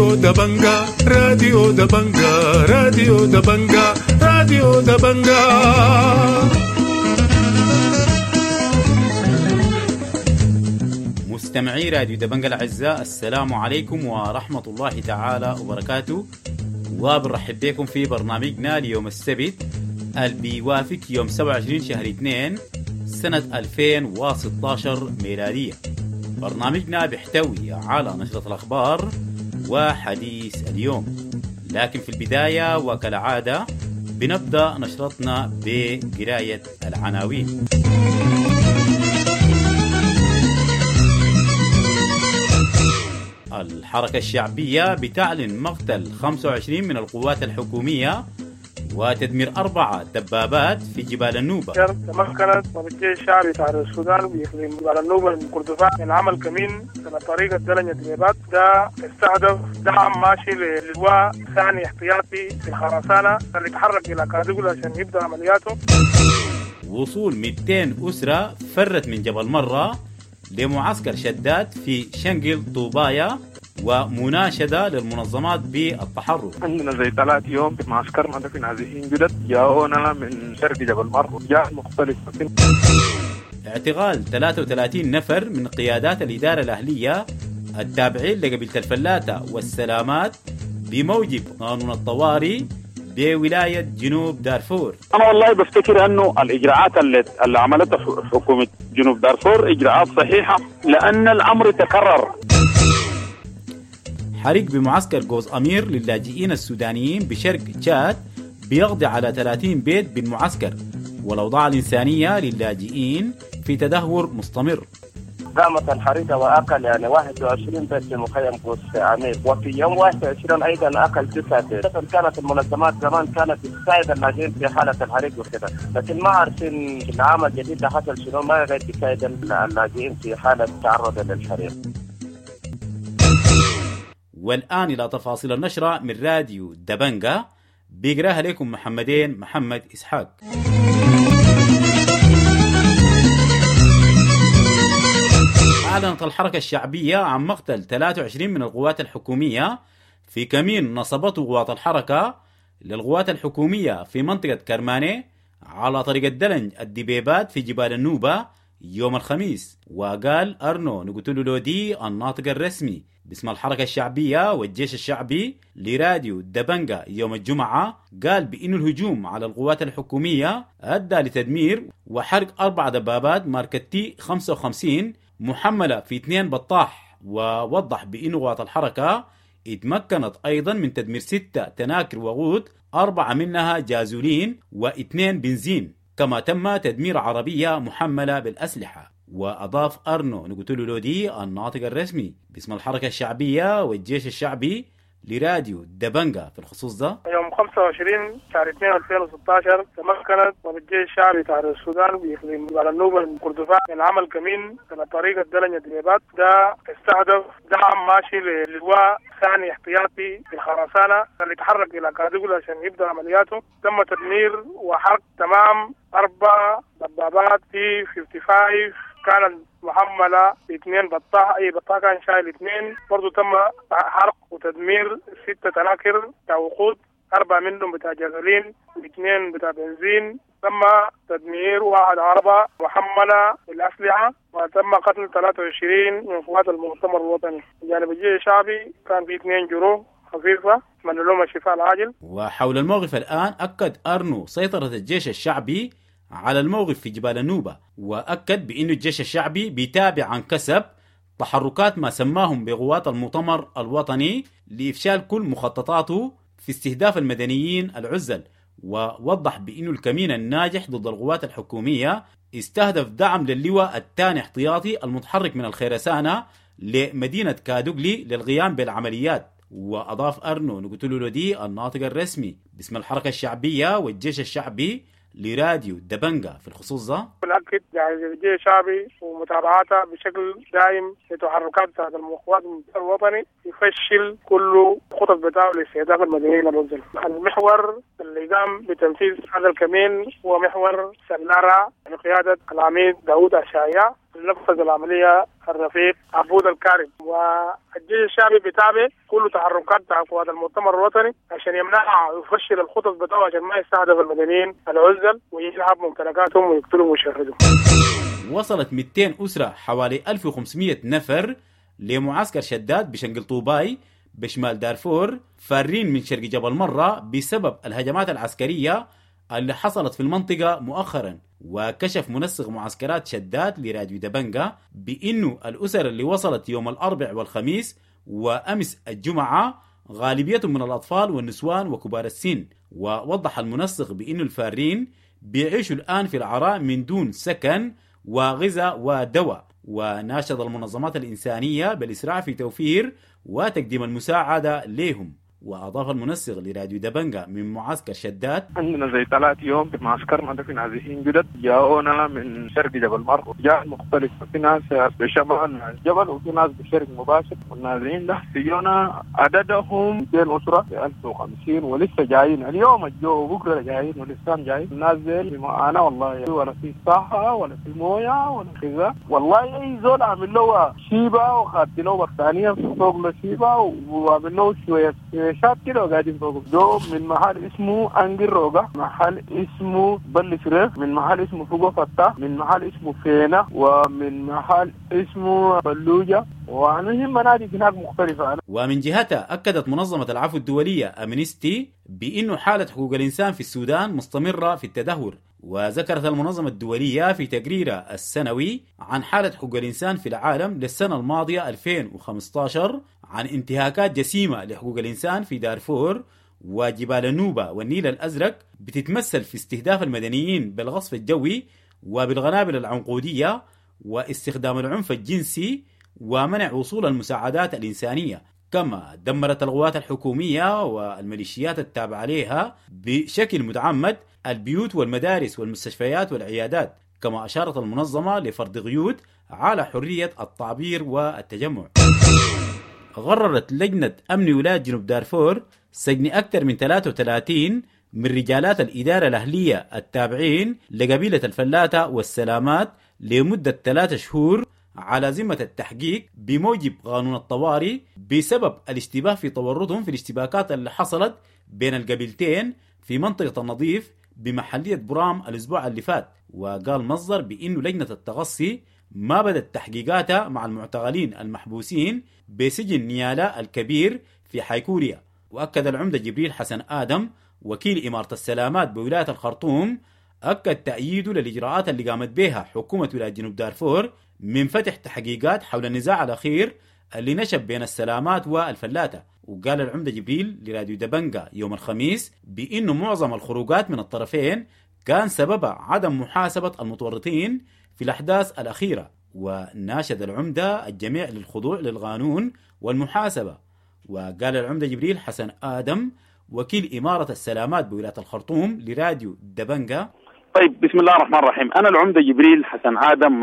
راديو دبنجا، راديو دبنجا، راديو دبنجا، راديو دبنجا. مستمعي راديو دبنجا الأعزاء، السلام عليكم ورحمة الله تعالى وبركاته، وبنرحب بكم في برنامجنا ليوم السبت اللي بيوافق يوم 27 شهر 2 سنة 2016 ميلادية. برنامجنا بيحتوي على نشرة الأخبار وحديث اليوم، لكن في البداية وكالعادة بنبدأ نشرتنا بقراية العناوين. الحركة الشعبية بتعلن مقتل 25 من القوات الحكومية وتدمير 4 دبابات في جبال النوبة. تمكنت الجيش الشعبي بتاع السودان بإقليم جبال النوبة من كردفان من عمل كمين على طريق الدلنج الدبابات، ده استهدف دعم ماشي للواء ثاني احتياطي في الخرسانة اللي تحرك إلى كادوغلي عشان يبدأ عملياته. وصول 200 أسرة فرت من جبل مرة لمعسكر شداد في شنقل طوبايا، ومناشدة للمنظمات بالتحرك. عندنا زي 3 يوم في معسكرنا ده في نازحين جدد جاءونا من شرق جبل مر جاء مختلف. اعتقال 33 نفر من قيادات الإدارة الأهلية التابعين لقبيلة الفلاتة والسلامات بموجب قانون الطوارئ بولاية جنوب دارفور. أنا والله بفتكر أنه الإجراءات اللي عملتها حكومة جنوب دارفور إجراءات صحيحة، لأن الأمر تكرر. حريق بمعسكر جوز أمير للاجئين السودانيين بشرق تشاد بيقضي على 30 بيت بالمعسكر، والأوضاع الإنسانية للاجئين في تدهور مستمر. قامت الحريقة وأكل يعني 21 بيت في مخيم قوس أمير، وفي يوم 21 أيضا أكل 9 بيت. كانت المنظمات زمان كانت تساعد اللاجئين في حالة الحريق وكذا، لكن ما عارفين العام الجديد ده حصل شنو، ما غير تساعد اللاجئين في حالة تعرض للحريق. والآن إلى تفاصيل النشرة من راديو دبنجا، بيقراها لكم محمدين محمد إسحاق. أعلنت الحركة الشعبية عن مقتل 23 من القوات الحكومية في كمين نصبته قوات الحركة للقوات الحكومية في منطقة كرماني على طريق الدلنج الدبيبات في جبال النوبة يوم الخميس. وقال أرنو نقتلو لودي الناطق الرسمي باسم الحركة الشعبية والجيش الشعبي لراديو دبنجا يوم الجمعة، قال بأن الهجوم على القوات الحكومية أدى لتدمير وحرق 4 دبابات ماركة تي 55 محملة في 2 بطاح. ووضح بأن قوات الحركة اتمكنت أيضا من تدمير 6 تناكر وقود، 4 منها جازولين و2 بنزين، كما تم تدمير عربية محملة بالأسلحة. وأضاف أرنو نقتلو لودي الناطق الرسمي باسم الحركة الشعبية والجيش الشعبي لراديو دبنجا في الخصوص ده: يوم 25 شهر 2 2016 تمكنت الجيش الشعبي بتاع السودان بإقليم جبال النوبة من كردفان من عمل كمين على طريق الدلنج الدبابات، ده استهدف دعم ماشي للواء ثاني احتياطي في الخرسانة اللي تحرك إلى كادوغلي عشان يبدأ عملياته. تم تدمير وحرق تمام 4 دبابات تي 55 كانت محملة 2 بطاح، أي بطاح كان شايل 2. برضو تم حرق وتدمير 6 تناكر بتاع وقود، 4 منهم بتاع جازولين و2 بتاع بنزين. تم تدمير 1 عربة محملة بالأسلحة، وتم قتل 23 من قوات المؤتمر الوطني. جانب الجيش الشعبي كان في 2 جروح خفيفة من لهم الشفاء العاجل. وحول الموقف الآن، أكد أرنو سيطرة الجيش الشعبي على الموقف في جبال النوبة، وأكد بأن الجيش الشعبي بيتابع عن كسب تحركات ما سماهم بقوات المؤتمر الوطني لإفشال كل مخططاته في استهداف المدنيين العزل. ووضح بأن الكمين الناجح ضد القوات الحكومية استهدف دعم للواء الثاني احتياطي المتحرك من الخيرسانة لمدينة كادوغلي للقيام بالعمليات. وأضاف أرنو نقتلو لودي الناطق الرسمي باسم الحركة الشعبية والجيش الشعبي لراديو دبنجا في الخصوص ده: بنأكد يعني الجيش الشعبي ومتابعتها بشكل دائم لتحركات بتاعت القوات الوطني يفشل كل خطط بتاعه لاستهداف المدنيين العزل. المحور اللي قام بتنفيذ هذا الكمين هو محور سلارة بقيادة العميد داوود أشعياء. نفذ العملية الرفيق عبود الكارم. والجيش الشعبي بيتابع كل تحركات بتاع قوات المؤتمر الوطني عشان يمنعها ويفشل الخطط بتاعه عشان ما يستهدف المدنيين العزل ويلعب ممتلكاتهم ويقتلهم ويشردهم. وصلت 200 أسرة حوالي 1500 نفر لمعسكر شداد بشنقل طوباي بشمال دارفور، فارين من شرق جبل مرة بسبب الهجمات العسكرية اللي حصلت في المنطقة مؤخرا. وكشف منسق معسكرات شداد لراديو دبنجا بأنه الأسر اللي وصلت يوم الأربع والخميس وأمس الجمعة غالبيتهم من الأطفال والنسوان وكبار السن. ووضح المنسق بأنه الفارين بيعيشوا الآن في العراء من دون سكن وغذاء ودواء. وناشد المنظمات الإنسانية بالإسراع في توفير وتقديم المساعدة لهم. وأضاف المنسق لراديو دبنجا من معسكر شداد: عندنا زي 3 يوم في معسكرنا ده في نازحين جدد جاءونا من شرق جبل مر، جاء مختلف، في ناس بشمال الجبل وفي ناس بشرق مباشر. والنازحين ده سيونا عددهم 200 أسرة في 1050 ولسه جايين اليوم الجو بكرة جايين ولسه جايين. الناس دي معانا والله، ولا في صحة ولا في موية ولا غذاء والله. أي زول عامل له شيبة وخدت له بطانية فوق له شيبة وعامل له شوية شاب كده وقاعدين فوق. جو من محل اسمه أنجر روغا، محل اسمه بل فريخ، من محل اسمه فوق فتة، من محل اسمه فينا، ومن محل اسمه بلوجة، وعنهم مناطق هناك مختلفة. ومن جهتها أكدت منظمة العفو الدولية أمنستي بأنه حالة حقوق الإنسان في السودان مستمرة في التدهور. وذكرت المنظمة الدولية في تقريرها السنوي عن حالة حقوق الإنسان في العالم للسنة الماضية 2015 عن انتهاكات جسيمة لحقوق الإنسان في دارفور وجبال النوبة والنيل الأزرق، بتتمثل في استهداف المدنيين بالغصف الجوي وبالقنابل العنقودية واستخدام العنف الجنسي ومنع وصول المساعدات الإنسانية. كما دمرت القوات الحكومية والميليشيات التابعة لها بشكل متعمد البيوت والمدارس والمستشفيات والعيادات. كما أشارت المنظمة لفرض قيود على حرية التعبير والتجمع. غررت لجنة أمن ولاية جنوب دارفور سجن أكثر من 33 من رجالات الإدارة الأهلية التابعين لقبيلة الفلاتة والسلامات لمدة 3 شهور على ذمة التحقيق بموجب قانون الطوارئ بسبب الاشتباه في تورطهم في الاشتباكات اللي حصلت بين القبيلتين في منطقة النظيف بمحلية برام الأسبوع اللي فات. وقال مصدر بأنه لجنة التغصي ما بدت تحقيقاتها مع المعتقلين المحبوسين بسجن نيالا الكبير في حيكوريا. وأكد العمدة جبريل حسن آدم وكيل إمارة السلامات بولاية الخرطوم أكد تأييده للإجراءات اللي قامت بها حكومة ولاية جنوب دارفور من فتح تحقيقات حول النزاع الأخير اللي نشب بين السلامات والفلاتة. وقال العمدة جبريل لراديو دبنجا يوم الخميس بأنه معظم الخروجات من الطرفين كان سببها عدم محاسبة المتورطين في الأحداث الأخيرة. وناشد العمدة الجميع للخضوع للقانون والمحاسبة. وقال العمدة جبريل حسن آدم وكيل إمارة السلامات بولاية الخرطوم لراديو دبنجا: طيب بسم الله الرحمن الرحيم، أنا العمدة جبريل حسن آدم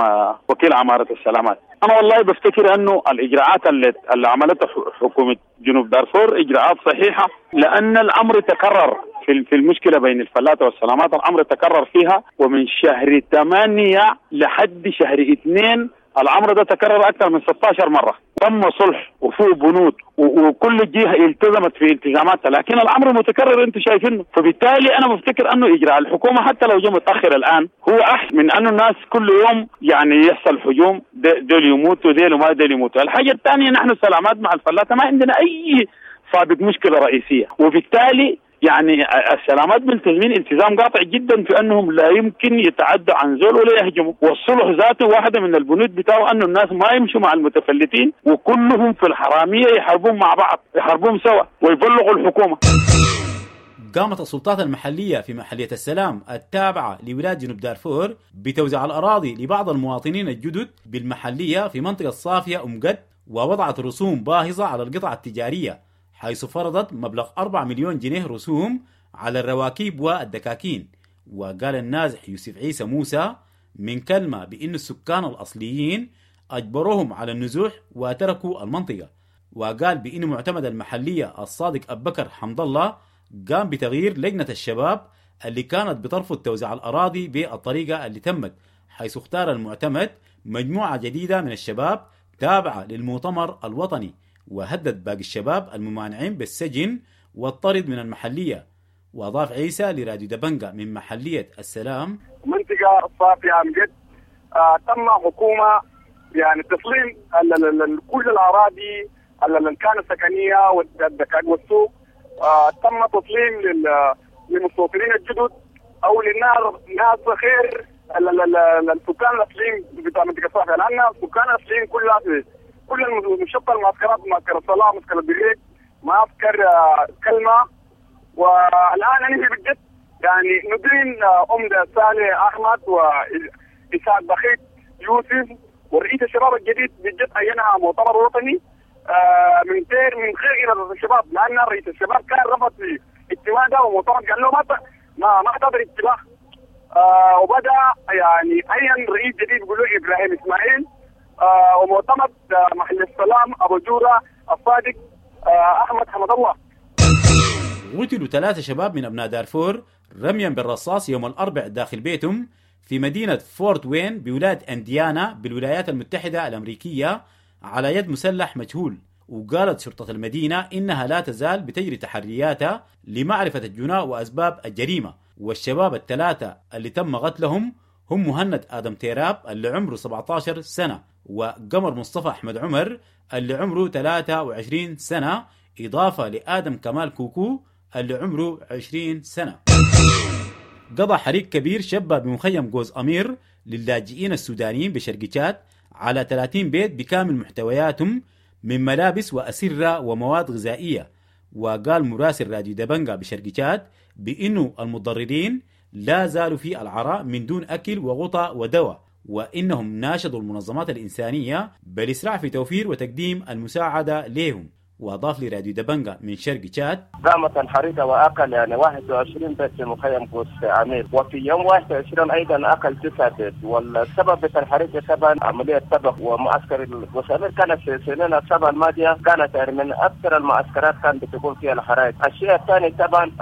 وكيل عمارة السلامات. أنا والله بفتكر أنه الإجراءات اللي عملتها حكومة جنوب دارفور إجراءات صحيحة، لأن الأمر تكرر في المشكلة بين الفلاتة والسلامات، الأمر تكرر فيها، ومن شهر 8 لحد شهر 2 الأمر ده تكرر أكثر من 16 مرة. تم صلح وفوق بنود وكل جهة التزمت في التزاماتها، لكن الأمر متكرر أنتم شايفينه. فبالتالي أنا بفتكر أنه إجراء الحكومة حتى لو جاء متأخر الآن هو أحسن من أنه الناس كل يوم يعني يحصل هجوم، دول يموتوا دول وما دول يموتوا. الحاجة الثانية، نحن السلامات مع الفلاتة ما عندنا أي سابق مشكلة رئيسية، وبالتالي يعني السلامات ملتزمين التزام قاطع جدا في انهم لا يمكن يتعدوا عن زول ولا يهجموا، والصلح ذاته واحده من البنود بتاعه انه الناس ما يمشوا مع المتفلتين وكلهم في الحراميه يحاربون مع بعض، يحاربون سوا ويبلغوا الحكومه. قامت السلطات المحلية في محلية السلام التابعة لولاية جنوب دارفور بتوزيع الأراضي لبعض المواطنين الجدد بالمحلية في منطقة صافية أم قد، ووضعت رسوم باهظة على القطع التجارية، حيث فرضت مبلغ 4 مليون جنيه رسوم على الرواكيب والدكاكين. وقال النازح يوسف عيسى موسى من كلمة بأن السكان الأصليين أجبروهم على النزوح وتركوا المنطقة. وقال بأن معتمد المحلية الصادق أبو بكر حمد الله قام بتغيير لجنة الشباب اللي كانت بترفض توزيع الأراضي بالطريقة اللي تمت، حيث اختار المعتمد مجموعة جديدة من الشباب تابعة للمؤتمر الوطني، وهدد باقي الشباب الممانعين بالسجن والطرد من المحلية. وأضاف عيسى لراديو دبنجا من محلية السلام: منطقة صافية أمجد تم حكومة يعني تسليم كل الأراضي اللي كانت سكنية والسوق، تم تسليم للمستوطنين الجدد أو للناس ناس خير السكان الأصليين بتاع منطقة صافية، لأن السكان الأصليين كلها في كل المشطة المعسكرات، معسكر الصلاة، معسكر البريك، معسكر كلمة. والآن نحن بجد يعني ندين أمدة صالح أحمد وإسحاق بخيت يوسف ورئيس الشباب الجديد بجد عينها مؤتمر وطني من غير إرادة الشباب، لأن رئيس الشباب كان رفض في اجتماع ده ومؤتمر قال له ما حتقدر اجتماع، وبدأ يعني عين رئيس جديد بيقولوا إبراهيم إسماعيل، ومؤتمر محل السلام أبو جورة الصادق أحمد حمد الله. قتلوا 3 شباب من أبناء دارفور رميا بالرصاص يوم الأربع داخل بيتهم في مدينة فورت وين بولاية أنديانا بالولايات المتحدة الأمريكية على يد مسلح مجهول. وقالت شرطة المدينة إنها لا تزال بتجري تحرياتها لمعرفة الجناء وأسباب الجريمة. والشباب ال3 اللي تم قتلهم هم مهند آدم تيراب اللي عمره 17 سنة، وقمر مصطفى أحمد عمر اللي عمره 23 سنة، إضافة لآدم كمال كوكو اللي عمره 20 سنة. قضى حريق كبير شب بمخيم جوز أمير للاجئين السودانيين بشرق تشاد على 30 بيت بكامل محتوياتهم من ملابس وأسرة ومواد غذائية. وقال مراسل راديو دبنجا بشرق تشاد بأنه المتضررين لا زالوا في العراء من دون أكل وغطاء ودواء، وإنهم ناشدوا المنظمات الإنسانية بالإسراع في توفير وتقديم المساعدة لهم. وأضاف لراديو دبنجا من شرق تشاد: قامت الحريقة وأقل يعني 21 بيت في مخيم قوس عمير، وفي يوم 21 أيضا أقل 9 بيت. والسبب بتاع الحريقة طبعا عملية طبخ، ومعسكر قوس عمير كانت في سنين السبعة الماضية كانت يعني من أكثر المعسكرات كانت بتكون فيها الحرائق. الشيء الثاني طبعا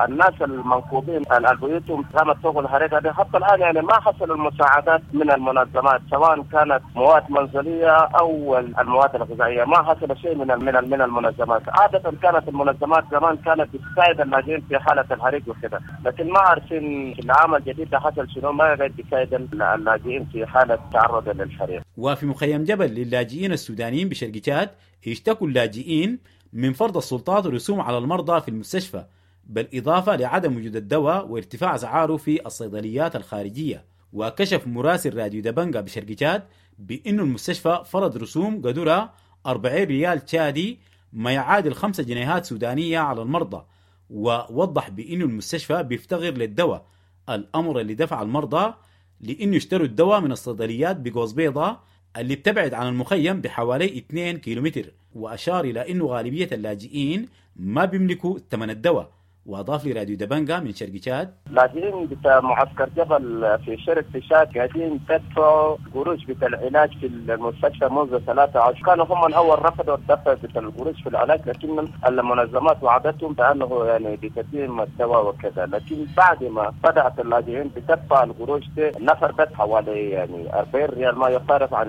الناس المنكوبين بيوتهم قامت فوق الحريقة دي، حتى الآن يعني ما حصل المساعدات من المنظمات سواء كانت مواد منزلية أو المواد الغذائية، ما حصل شيء من من المنظمات. عادة كانت المنظمات زمان كانت بتساعد اللاجئين في حالة الحريق وكذا، لكن ما عارفين في العام الجديد ده حصل شنو، ما قاعد بيساعد اللاجئين في حالة تعرض للحريق. وفي مخيم جبل للاجئين السودانيين بشرق تشاد اشتكوا اللاجئين من فرض السلطات رسوم على المرضى في المستشفى، بالإضافة لعدم وجود الدواء وارتفاع أسعاره في الصيدليات الخارجية. وكشف مراسل راديو دبنجا بشرق تشاد بأن المستشفى فرض رسوم قدرها 40 ريال تشادي ما يعادل 5 جنيهات سودانية على المرضى، ووضح بأنه المستشفى بيفتقر للدواء، الأمر اللي دفع المرضى لأنه يشتروا الدواء من الصيدليات بقوس بيضة اللي بتبعد عن المخيم بحوالي 2 كيلومتر. وأشار إلى أنه غالبية اللاجئين ما بيملكوا ثمن الدواء. وأضاف لراديو دبنجا من شرق تشاد: لاجئين بتاع معسكر جبل في شرق تشاد قاعدين تدفعوا قروش بتاع العلاج في المستشفى منذ 13، كانوا هم الأول رفضوا الدفع بتاع القروش في العلاج، لكن المنظمات وعدتهم بأنه يعني بتتم الدواء وكذا، لكن بعد ما بدأت اللاجئين بتدفع القروش دي النفر بس حوالي يعني 40 ريال ما يقارب عن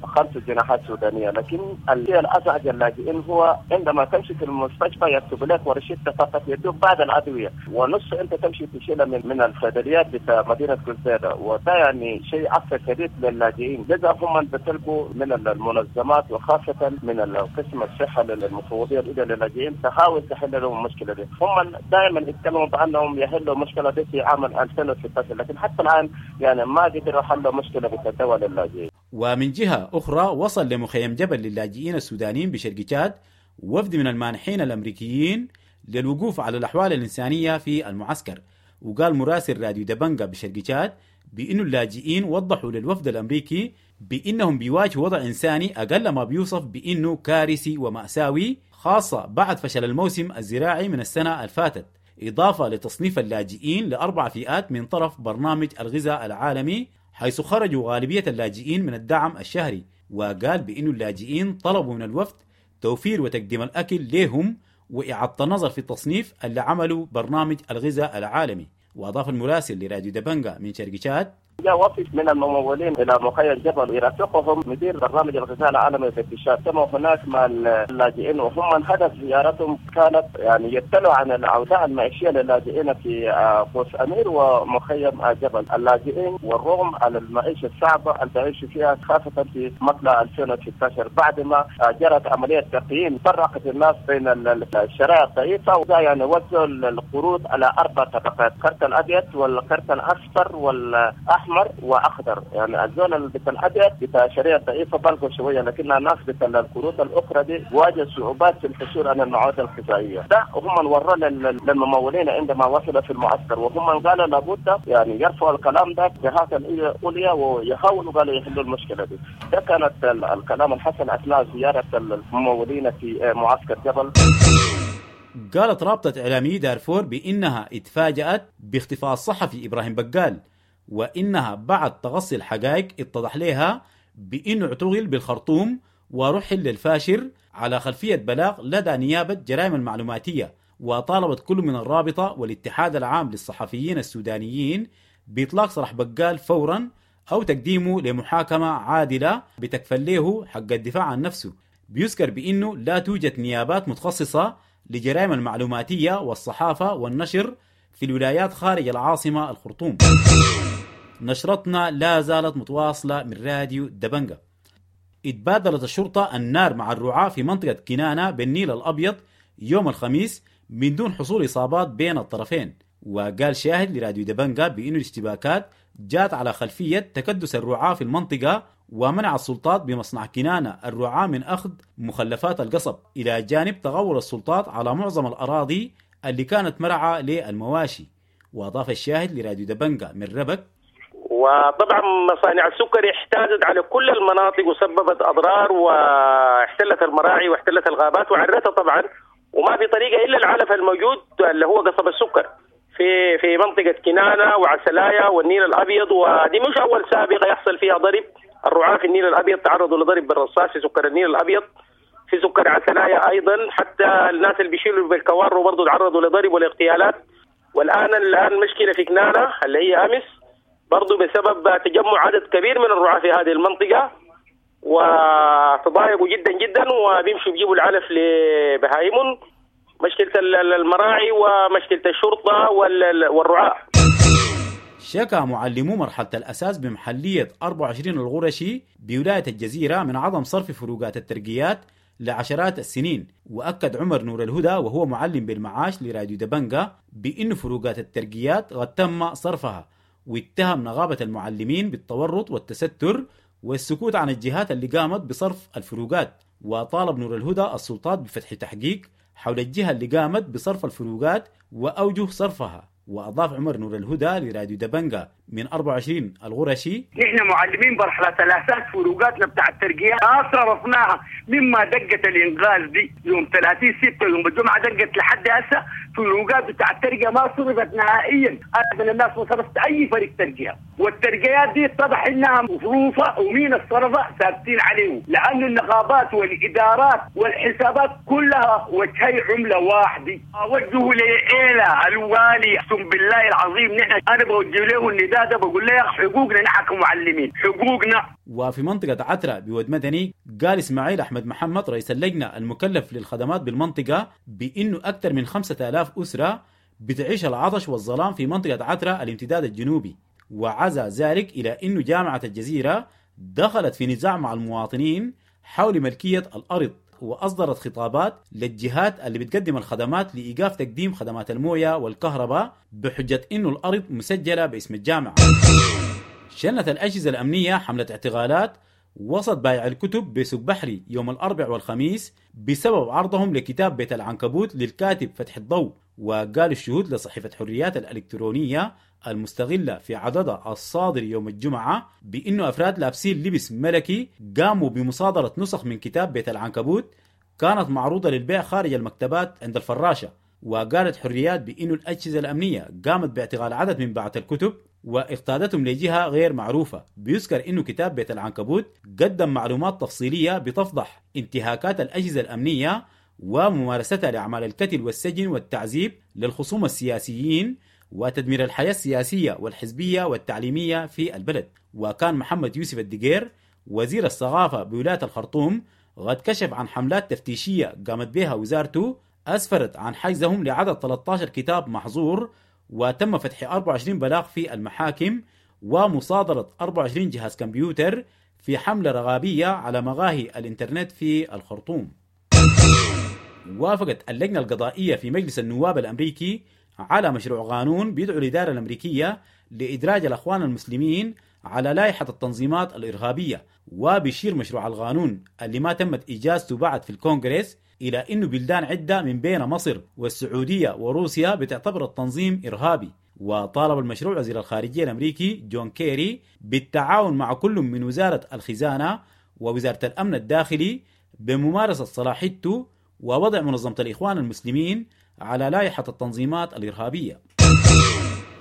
5 جنيهات سودانية. لكن الشيء الأزعج اللاجئين هو عندما تمشي في المستشفى يكتب لك ورشدة فقط يدوك بعد الأدوية ونص أنت تمشي تشيلها من الصيدليات بتاع مدينة كوزيدا، وده يعني شيء أثر شديد للاجئين. لذا هم بتلقوا من المنظمات وخاصة من القسم الصحة للمفوضية الأولى للاجئين تحاول تحل لهم المشكلة دي. هم دائما يتكلموا بأنهم يحلوا المشكلة دي في عام 2016، لكن حتى الآن يعني ما قدروا يحلوا مشكلة بالدواء للاجئين. ومن جهة أخرى وصل لمخيم جبل للاجئين السودانيين بشرق تشاد وفد من المانحين الأمريكيين للوقوف على الأحوال الإنسانية في المعسكر. وقال مراسل راديو دبنجا بشرق تشاد بأن اللاجئين وضحوا للوفد الأمريكي بأنهم بيواجهوا وضع إنساني أقل ما بيوصف بأنه كارثي ومأساوي، خاصة بعد فشل الموسم الزراعي من السنة الفاتت، إضافة لتصنيف اللاجئين ل4 فئات من طرف برنامج الغذاء العالمي، حيث خرجوا غالبية اللاجئين من الدعم الشهري. وقال بأن اللاجئين طلبوا من الوفد توفير وتقديم الأكل لهم وإعادة النظر في التصنيف اللي عملوا برنامج الغذاء العالمي. وأضاف المراسل لراديو دبنجا من شرق تشاد: جاء وفد من الممولين الى مخيم جبل يرافقهم مدير برنامج الغذاء العالمي في التشاد. تم هناك مع اللاجئين، وهم من هدف زيارتهم كانت يعني يطلعوا عن الاوضاع المعيشيه للاجئين في قوس امير ومخيم جبل. اللاجئين والرغم على المعيشه الصعبه اللي بيعيشوا فيها خاصه في مطلع 2016 بعد ما جرت عمليه تقييم فرقت الناس بين الشرائح الضعيفه، وده يعني وزعوا القروض على 4 طبقات: الكرت الابيض والكرت الاصفر والاحمر واخضر. يعني الزول بتاع الابيض بتاع الشريعه الضعيفه بلغوا شويه، لكن الناس بتاع الكروت الاخرى دي واجه صعوبات في الحصول على المواد الغذائيه. ده هم وروا للممولين عندما وصلوا في المعسكر، وهم قالوا لابد يعني يرفعوا الكلام ده جهات العليا ويحاولوا قالوا يحلوا المشكله دي. ده كانت الكلام الحصل اثناء زياره الممولين في معسكر جبل. قالت رابطة إعلامي دارفور بإنها اتفاجأت باختفاء الصحفي إبراهيم بقال، وإنها بعد تغصي الحقائق اتضح لها بإنه اعتقل بالخرطوم ورحل للفاشر على خلفية بلاغ لدى نيابة جرائم المعلوماتية. وطالبت كل من الرابطة والاتحاد العام للصحفيين السودانيين بإطلاق سراح بقال فورا أو تقديمه لمحاكمة عادلة بتكفل له حق الدفاع عن نفسه. بيذكر بأنه لا توجد نيابات متخصصة لجرائم المعلوماتية والصحافة والنشر في الولايات خارج العاصمة الخرطوم. نشرتنا لا زالت متواصلة من راديو دبنجة. اتبادلت الشرطة النار مع الرعاة في منطقة كنانة بالنيل الأبيض يوم الخميس من دون حصول إصابات بين الطرفين. وقال شاهد لراديو دبنجة بأن الاشتباكات جاءت على خلفية تكدس الرعاة في المنطقة ومنع السلطات بمصنع كنانة الرعاة من أخذ مخلفات القصب، إلى جانب تغور السلطات على معظم الأراضي اللي كانت مرعى للمواشي. وأضاف الشاهد لراديو دبنجة من ربك: وطبعا مصانع السكر احتازت على كل المناطق وسببت أضرار واحتلت المراعي واحتلت الغابات وعرتها طبعا، وما في طريقة إلا العلف الموجود اللي هو قصب السكر في منطقة كنانة وعسلايا والنيل الأبيض. ودي مش أول سابقة يحصل فيها ضرب، الرعاة في النيل الأبيض تعرضوا لضرب بالرصاص في سكر النيل الأبيض، في سكر عسلايا أيضا، حتى الناس اللي بيشيلوا بالكوارو برضو تعرضوا لضرب والاغتيالات. والآن المشكلة في كنانة اللي هي أمس برضو بسبب تجمع عدد كبير من الرعاة في هذه المنطقة وتضايقوا جدا جدا وبيمشوا بيجيبوا العلف لبهايمهم. مشكلة المراعي ومشكلة الشرطة والرعاة. شكى معلمو مرحلة الأساس بمحلية 24 الغرشي بولاية الجزيرة من عدم صرف فروقات الترقيات لعشرات السنين. وأكد عمر نور الهدى وهو معلم بالمعاش لراديو دبنجة بأن فروقات الترقيات قد تم صرفها، واتهم نغابة المعلمين بالتورط والتستر والسكوت عن الجهات اللي قامت بصرف الفروقات. وطالب نور الهدى السلطات بفتح تحقيق حول الجهة اللي قامت بصرف الفروقات وأوجه صرفها. وأضاف عمر نور الهدى لراديو دبنجة من 24 الغرشي: نحن معلمين مرحلة الأساس فروقاتنا بتاع الترقية ما صرفناها مما دقت الإنغاز دي يوم 30/6 يوم الجمعة دقت لحد هسه فروقات بتاع الترقية ما صرفت نهائيا. أنا من الناس ما صرفت أي فريق ترقية، والترقيات دي اتضح إنها مصروفة ومين الصرفة ثابتين عليه، لأن النقابات والإدارات والحسابات كلها وجهي عملة واحدة. أوجه لإيلا الوالي أقسم بالله العظيم نحن أنا بوجه له النداء ده، بقول له حقوقنا نحن كمعلمين حقوقنا. وفي منطقة عترة بود مدني قال إسماعيل أحمد محمد رئيس اللجنة المكلف للخدمات بالمنطقة بأنه أكثر من 5000 أسرة بتعيش العطش والظلام في منطقة عترة الامتداد الجنوبي. وعزى ذلك إلى أنه جامعة الجزيرة دخلت في نزاع مع المواطنين حول ملكية الأرض، وأصدرت خطابات للجهات اللي بتقدم الخدمات لإيقاف تقديم خدمات الموية والكهرباء بحجة أنه الأرض مسجلة باسم الجامعة. شنت الأجهزة الأمنية حملة اعتقالات وسط بائع الكتب بسوق بحري يوم الأربع والخميس بسبب عرضهم لكتاب بيت العنكبوت للكاتب فتح الضوء. وقال الشهود لصحيفة حريات الإلكترونية المستغلة في عددها الصادر يوم الجمعة بأنه أفراد لابسين لبس ملكي قاموا بمصادرة نسخ من كتاب بيت العنكبوت كانت معروضة للبيع خارج المكتبات عند الفراشة. وقالت حريات بأنه الأجهزة الأمنية قامت باعتقال عدد من باعة الكتب واقتادتهم لجهة غير معروفة. بيذكر أنه كتاب بيت العنكبوت قدم معلومات تفصيلية بتفضح انتهاكات الأجهزة الأمنية وممارستها لأعمال القتل والسجن والتعذيب للخصوم السياسيين وتدمير الحياة السياسية والحزبية والتعليمية في البلد. وكان محمد يوسف الدقير وزير الثقافة بولاية الخرطوم قد كشف عن حملات تفتيشية قامت بها وزارته أسفرت عن حجزهم لعدد 13 كتاب محظور، وتم فتح 24 بلاغ في المحاكم ومصادرة 24 جهاز كمبيوتر في حملة رغابية على مقاهي الإنترنت في الخرطوم. وافقت اللجنة القضائية في مجلس النواب الأمريكي على مشروع قانون بيدعو الإدارة الأمريكية لإدراج الأخوان المسلمين على لائحة التنظيمات الإرهابية. وبيشير مشروع القانون اللي ما تمت إجازته بعد في الكونغرس إلى أنه بلدان عدة من بين مصر والسعودية وروسيا بتعتبر التنظيم إرهابي. وطالب المشروع وزير الخارجية الأمريكي جون كيري بالتعاون مع كل من وزارة الخزانة ووزارة الأمن الداخلي بممارسة صلاحيته ووضع منظمة الإخوان المسلمين على لائحة التنظيمات الإرهابية.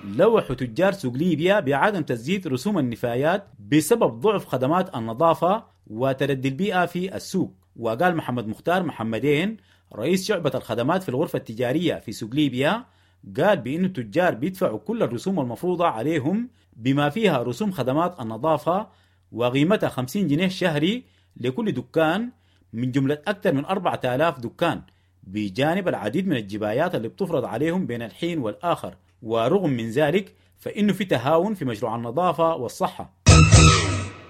لوحوا تجار سوق ليبيا بعدم تسديد رسوم النفايات بسبب ضعف خدمات النظافة وتردي البيئة في السوق. وقال محمد مختار محمدين رئيس شعبة الخدمات في الغرفة التجارية في سوق ليبيا، قال بأن التجار بيدفعوا كل الرسوم المفروضة عليهم بما فيها رسوم خدمات النظافة وقيمتها 50 جنيه شهري لكل دكان من جملة أكثر من 4000 دكان، بجانب العديد من الجبايات اللي بتفرض عليهم بين الحين والآخر. ورغم من ذلك فإنه في تهاون في مشروع النظافة والصحة.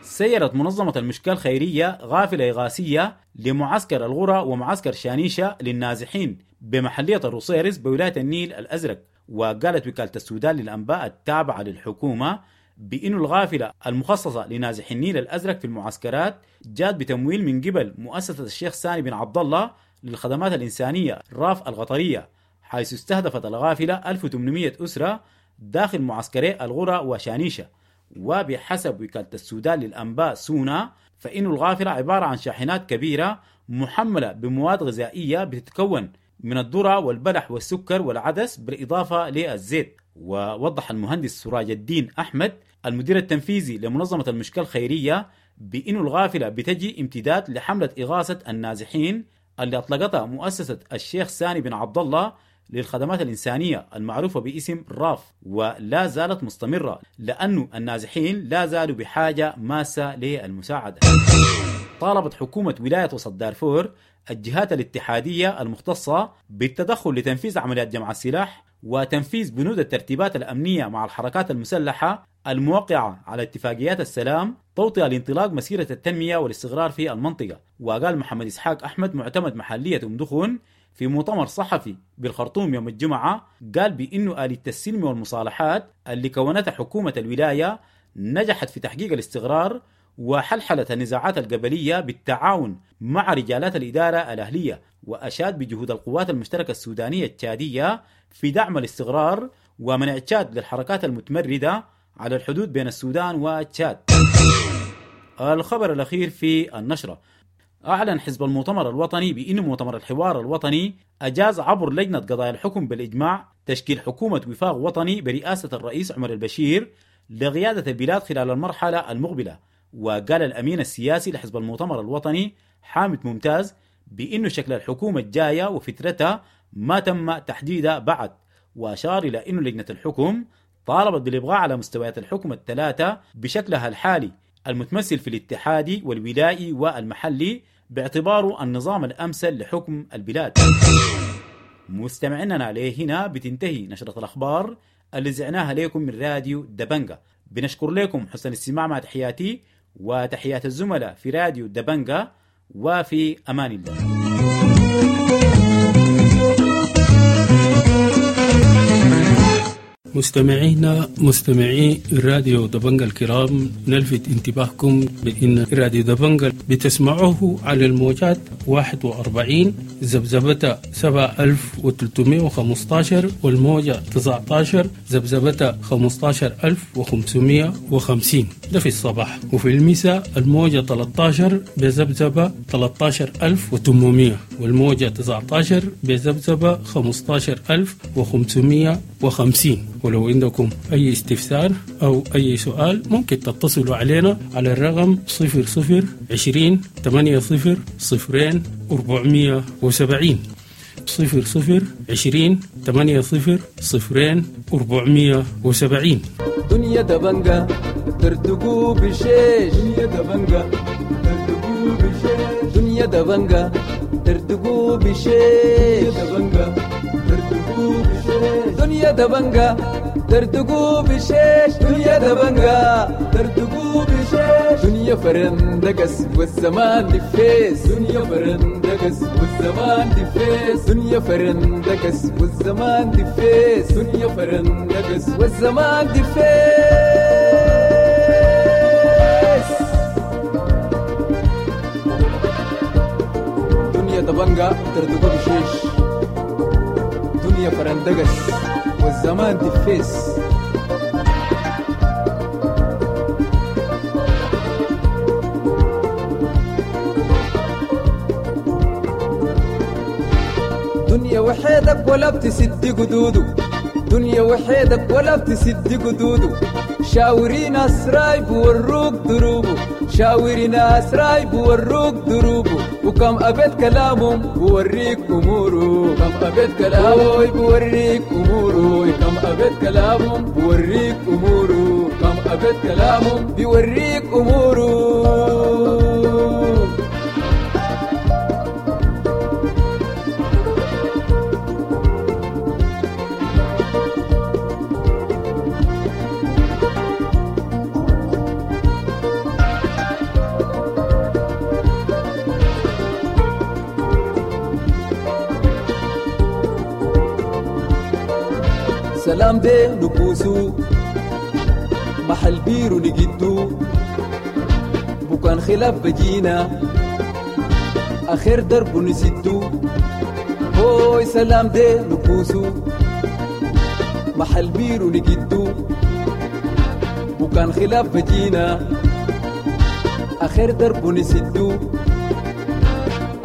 سيرت منظمة المشكاة الخيرية غافلة إغاثية لمعسكر الغرة ومعسكر شانيشة للنازحين بمحلية الروصيرس بولاية النيل الأزرق. وقالت وكالة السودان للأنباء التابعة للحكومة بأن الغافلة المخصصة لنازحي النيل الأزرق في المعسكرات جاءت بتمويل من قبل مؤسسة الشيخ ساني بن عبد الله للخدمات الإنسانية راف القطرية، حيث استهدفت الغافلة 1800 أسرة داخل معسكري الغرة وشانيشة. وبحسب وكالة السودان للأنباء سونا فإن الغافلة عبارة عن شاحنات كبيرة محملة بمواد غذائية بتتكون من الذرة والبلح والسكر والعدس بالإضافة للزيت. ووضح المهندس سراج الدين أحمد المدير التنفيذي لمنظمة المشكاة الخيرية بأن الغافلة بتجي امتداد لحملة إغاثة النازحين اللي أطلقتها مؤسسة الشيخ ساني بن عبد الله للخدمات الإنسانية المعروفة باسم راف، ولا زالت مستمرة لأنه النازحين لا زالوا بحاجة ماسة للمساعدة. طالبت حكومة ولاية وسط دارفور الجهات الاتحادية المختصة بالتدخل لتنفيذ عمليات جمع السلاح وتنفيذ بنود الترتيبات الأمنية مع الحركات المسلحة الموقعة على اتفاقيات السلام توطئة لانطلاق مسيرة التنمية والاستقرار في المنطقة. وقال محمد إسحاق أحمد معتمد محلية أم دخون في مؤتمر صحفي بالخرطوم يوم الجمعة، قال بأنه آلية السلم والمصالحات اللي كونتها حكومة الولاية نجحت في تحقيق الاستقرار وحلحلة النزاعات القبلية بالتعاون مع رجالات الإدارة الأهلية، وأشاد بجهود القوات المشتركة السودانية التشادية في دعم الاستقرار ومنع تشاد للحركات المتمردة على الحدود بين السودان وتشاد. الخبر الأخير في النشرة، أعلن حزب المؤتمر الوطني بأن مؤتمر الحوار الوطني أجاز عبر لجنة قضايا الحكم بالإجماع تشكيل حكومة وفاق وطني برئاسة الرئيس عمر البشير لقيادة البلاد خلال المرحلة المقبلة. وقال الأمين السياسي لحزب المؤتمر الوطني حامد ممتاز بأنه شكل الحكومة الجاية وفترتها ما تم تحديدها بعد، وأشار إلى أن لجنة الحكم طالبت بالإبقاء على مستويات الحكم الثلاثة بشكلها الحالي المتمثل في الاتحادي والولائي والمحلي باعتباره النظام الأمثل لحكم البلاد. مستمعينا عليه هنا بتنتهي نشرة الأخبار اللي زعناها لكم من راديو دبنجا. بنشكر لكم حسن الاستماع، مع تحياتي وتحيات الزملاء في راديو دبنجا، وفي أمان الله. مستمعينا مستمعي راديو دبنجا الكرام، نلفت انتباهكم بأن راديو دبنجا بتسمعوه على الموجات 41 ذبذبة 7315 والموجة 19 ذبذبة 15550، ده في الصباح، وفي المساء الموجة 13 بذبذبة 13800 والموجة 19 بذبذبة 15550. ولو عندكم أي استفسار أو أي سؤال ممكن تتصلوا علينا على الرقم 00 20 80 0 470. 00 20 8 0 0 470. دنيا دبنجة تردقوا بشيش، دنيا دبنجة تردقوا بشيش، دنيا دبنجة تردقوا بشيش، دبنجة تردقوا بشيش، دنيا دبنجة تردقوا بشيش، دنيا دبنجة تردقوا بشيش، دنيا فرندقس والزمان دفيس، دنيا فرندقس والزمان دفيس، دنيا فرندقس والزمان دفيس، دنيا فرندقس والزمان دفيس. دنيا دبنجة تردقوا بشيش، دنيا فرندقس والزمان دفيس. دنيا وحيدك ولا بتسد قدوده، دنيا وحيدك ولا بتسد قدوده، شاوري ناس رايب وروك دروبه، شاوري ناس رايب وروك دروبه، وكم أبيت كلامهم بوريك أموره، كم أبيت كلامهم بوريك أموره، كم أبيت كلامهم بوريك أموره، كم أبيت كلامهم بيوريك أموره. سلام دي نكوسو محل بيرو نجدو، بكان خلاف بجينا آخر درب نسدو، هوي سلام دي نكوسو محل بيرو نجدو، بكان خلاف بجينا آخر درب نسدو،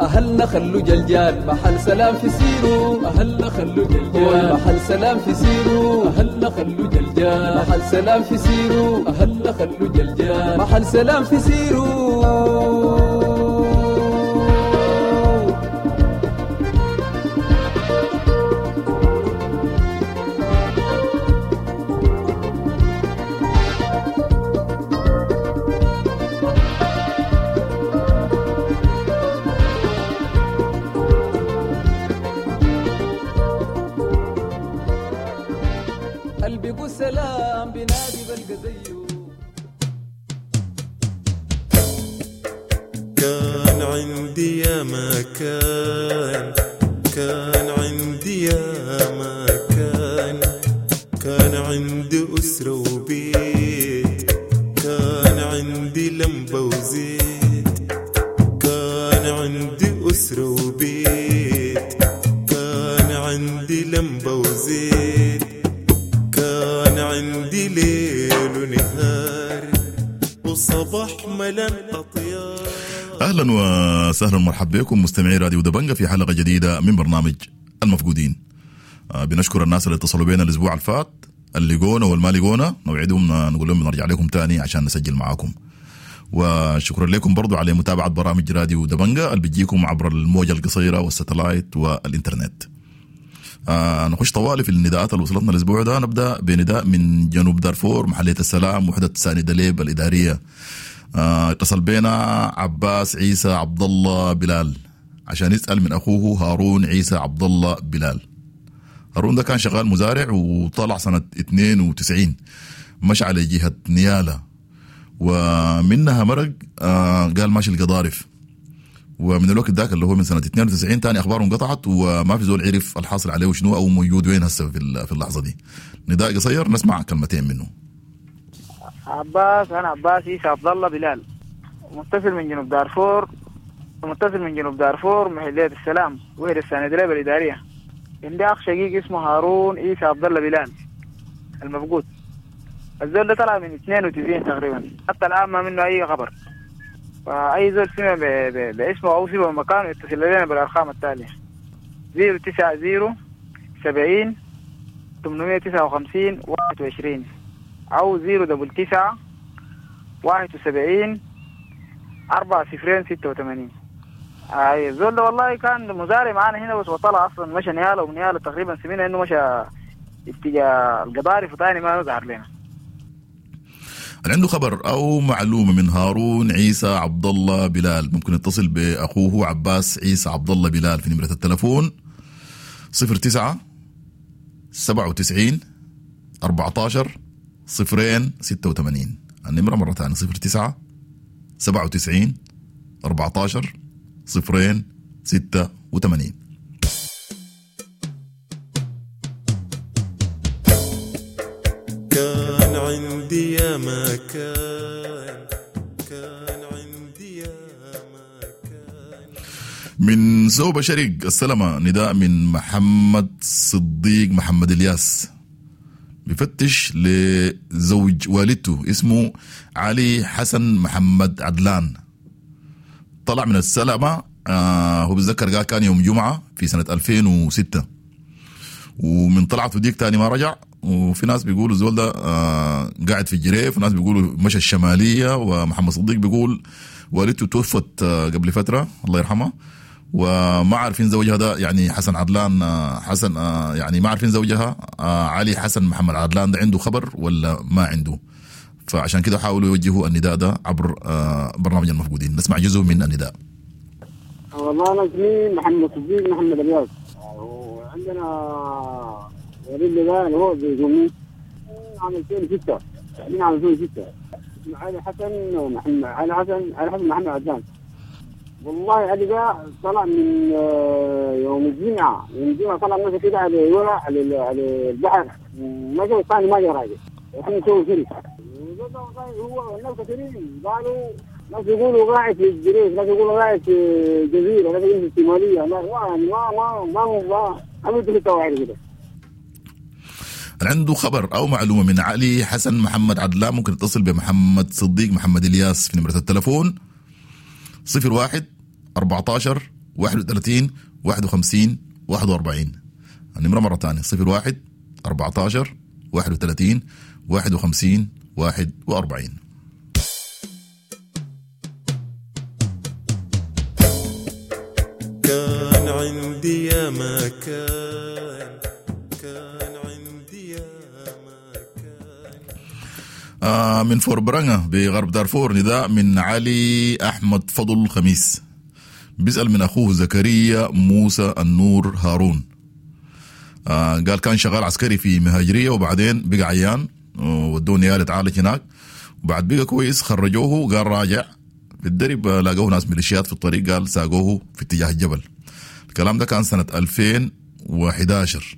أهلنا خلو جلجال محل سلام في سيرو، أهلنا خلو جلجال محل سلام في سيرو، أهلنا خلو جلجال محل سلام في سيرو، أهلنا خلو جلجال محل سلام في سيرو. سلام بنادي بلقى زيه. كان عندي يا مكان، كان عندي يا مكان، كان عندي أسرة وبيت، كان عندي لمبة وزيت، كان عندي أسرة وبيت، كان عندي لمبة وزيت، كان عندي ليل ونهار وصباح ملان أطيار. أهلا وسهلا ومرحبا بكم مستمعي راديو دبنجة في حلقة جديدة من برنامج المفقودين. بنشكر الناس اللي اتصلوا بينا الأسبوع الفات، اللي جونا والما لقونا، نوعدهم نقول لهم بنرجع لكم تاني عشان نسجل معاكم. وشكرا لكم برضو على متابعة برامج راديو دبنجة اللي بتجيكم عبر الموجة القصيرة والستلايت والإنترنت. نخش طوالي في النداءات اللي وصلتنا الأسبوع ده. نبدأ بنداء من جنوب دارفور، محلية السلام، وحدة ساني دليب الإدارية. اتصل بينا عباس عيسى عبد الله بلال عشان يسأل من أخوه هارون عيسى عبد الله بلال. هارون ده كان شغال مزارع وطلع سنة 92، مشى على جهة نيالة ومنها مرق، قال ماشي القضارف. ومن الوقت ذاك اللي هو من سنة 92 تاني أخباره انقطعت وما في زول عرف الحاصل عليه وشنو أو موجود وين هسه في اللحظة دي. نداء قصير نسمع كلمتين منه. عباس، أنا عباس عيسى عبد الله بلال، متصل من جنوب دارفور، متصل من جنوب دارفور محلية السلام وهي السنة الإدارية. عندي أخ شقيق اسمه هارون عيسى عبد الله بلال المفقود. الزول ده طلع من 92 تقريبا، حتى الآن ما منه أي خبر. فأي زول سمع باسمه أو سمع بمكانه يتصل لنا بالأرقام التالية: 090 70 859 21 أو 099 71 4 0 86. اي الزول ده والله كان مزارع معانا هنا، بس وطلع اصلا مشى نياله، ومن نياله تقريبا سمعنا انه مشى اتجاه القضارف وثاني ما ظهر لنا. اللي عنده خبر او معلومة من هارون عيسى عبد الله بلال ممكن يتصل باخوه عباس عيسى عبد الله بلال في نمره التلفون 09 97 14 0 86. النمرة مرة ثانية 09 97 14 0 86. كان عندي يا ما كان، كان عندي يا ما كان. من سوبا شريق السلامة نداء من محمد صديق محمد الياس، بفتش لزوج والدته اسمه علي حسن محمد عدلان. طلع من السلامة، هو بيتذكر قال كان يوم جمعة في سنة 2006، ومن طلعته ديك تاني ما رجع. وفي ناس بيقولوا الزول ده قاعد في الجريف، وناس بيقولوا مشى الشمالية، ومحمد صديق بيقول والدته توفت قبل فترة الله يرحمها، وما عارفين زوجها ده يعني حسن عدلان، حسن يعني ما عارفين زوجها علي حسن محمد عدلان ده عنده خبر ولا ما عنده. فعشان كده حاولوا يوجهوا النداء ده عبر برنامج المفقودين. نسمع جزء من النداء. والله أنا اسمي محمد صديق محمد الياس، وعندنا وليد ده اللي هو بيزومي عام 2006، من عام 2006 اسمه علي حسن محمد، علي حسن، علي حسن محمد عدلان. والله علي ده طلع من يوم الجمعة، يوم الجمعة طلع مشى كده على ورا على البحر، مشى ثاني ما جا راجع، احنا نسوي شرك. هو الناس كثيرين قالوا، ناس يقولوا قاعد في الجريف، ناس يقولوا قاعد في الجزيرة، ناس يقولوا في الشمالية، ما ما ما ما ما ما ما كده. عنده خبر أو معلومة من علي حسن محمد عدلان ممكن يتصل بمحمد صديق محمد الياس في نمرة التلفون 01 14 31 51 41. النمرة مرة ثانية 01 14 31 51 41. كان عندي يا ما كان، كان عندي يا ما كان. من فوربرانغا بغرب دارفور نداء من علي أحمد فضل خميس، بيسأل من أخوه زكريا موسى النور هارون. قال كان شغال عسكري في مهاجرية، وبعدين بقى عيان ودوه نيال اتعالج هناك، وبعد بقى كويس خرجوه، قال راجع في الدرب لاقوه ناس ميليشيات في الطريق، قال ساقوه في اتجاه الجبل. الكلام ده كان سنة 2011،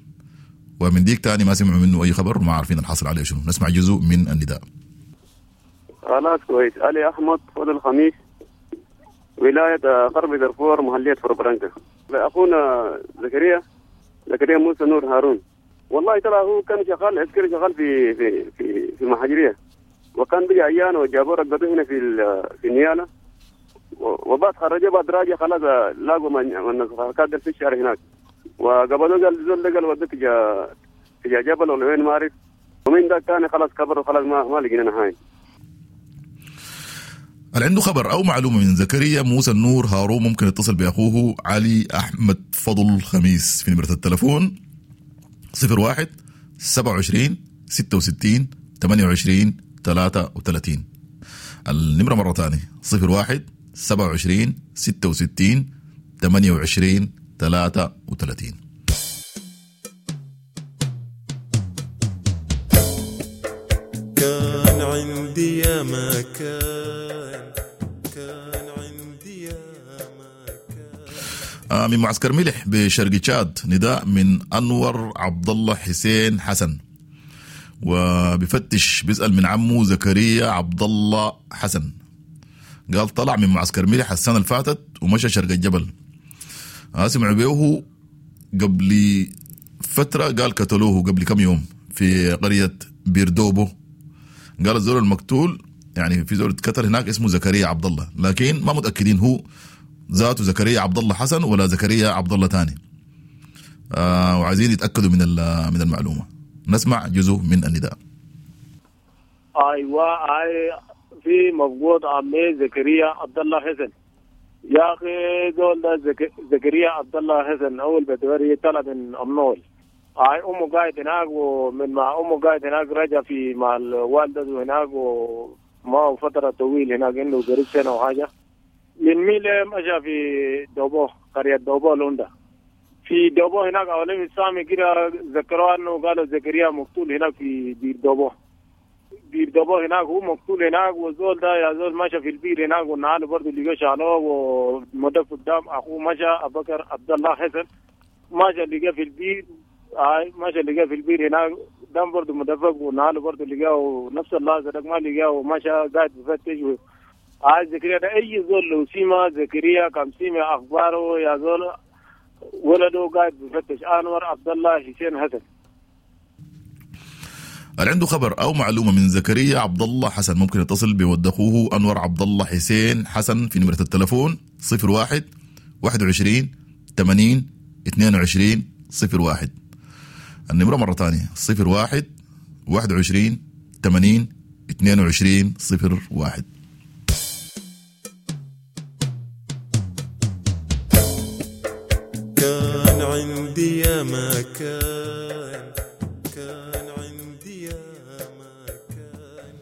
ومن ديك تاني ما سمعوا منه أي خبر، وما عارفين الحصل عليه شنو. نسمع جزء من النداء. خلاص كويس. علي أحمد فضل الخميس، ولاية غرب دارفور، محلية فوربرانكا. أخونا زكريا موسى نور هارون، والله ترى هو كان شغال عسكري، شغال في في في في محاجرية، وكان بيجي عيان وجابوه رقدوه هنا في نيالا، وبعد خرجه بعد راجع خلاص لاقوا من الحركات في الشارع هناك، وقبلوه قال زول ده قال ودته تجا جبل ولا وين ما اعرف، ومن ده كان خلاص كبر وخلاص ما لقينا نهاية. اللي عنده خبر أو معلومة من زكريا موسى النور هارون ممكن يتصل بأخوه علي أحمد فضل خميس في نمرة التلفون 01 27 66 28 33. النمرة مرة ثانية 01 27 66 28 33. كان عندي يا ما كان، كان عندي يا ما كان. من معسكر ملح بشرق تشاد نداء من أنور عبد الله حسين حسن، وبفتش بيسأل من عمه زكريا عبد الله حسن. قال طلع من معسكر ملح السنة اللي فاتت ومشى شرق الجبل. سمعوا بيه قبل فترة، قال قتلوه قبل كم يوم في قرية بيردوبو. قال الزول المقتول يعني في زول اتقتل هناك اسمه زكريا عبد الله، لكن ما متأكدين هو ذاته زكريا عبد الله حسن ولا زكريا عبد الله تاني. وعايزين يتأكدوا من المعلومة. نسمع جزء من النداء. ايوه، في مفقود عمي زكريا عبد الله حسن. يا اخي زول ده زكريا عبد الله حسن اول بدوري طلع من امنول. امه قاعد هناك، ومن مع امه قاعد هناك رجع في مع الوالدة هناك، وما فترة طويلة هناك انه قريب سنة وحاجه. من ميلة مشى في دوبو، قرية دوبو لوندا. في دوبو هناك أولين السامي كده ذكروا أنه قالوا زكريا مقتول هناك في بير دوبو. بير دوبو هناك هو مقتول هناك، وزول ده يا زول مشى في البير هناك، ونعاله برضه اللي شالوه ومدف قدام أخوه مشى أبو بكر عبد الله حسن مشى لقى في البير، مشى لقى في البير هناك دم برضه مدفق، ونعاله برضه لقاه نفس اللحظة ده ما لقاه، ومشى قاعد بفتش. عايز زكريا ده أي زول لو سيما زكريا كم سيما أخباره يا زول ولده قاعد بفتش. أنور عبد الله حسين حسن. اللي عنده خبر أو معلومة من زكريا عبد الله حسن ممكن يتصل بود أخوه أنور عبد الله حسين حسن في نمرة التلفون 01 21 80 22 01. النمرة مرة ثانية 01 21 80 22 01. كان عندي يا ما كان، كان عندي يا ما كان.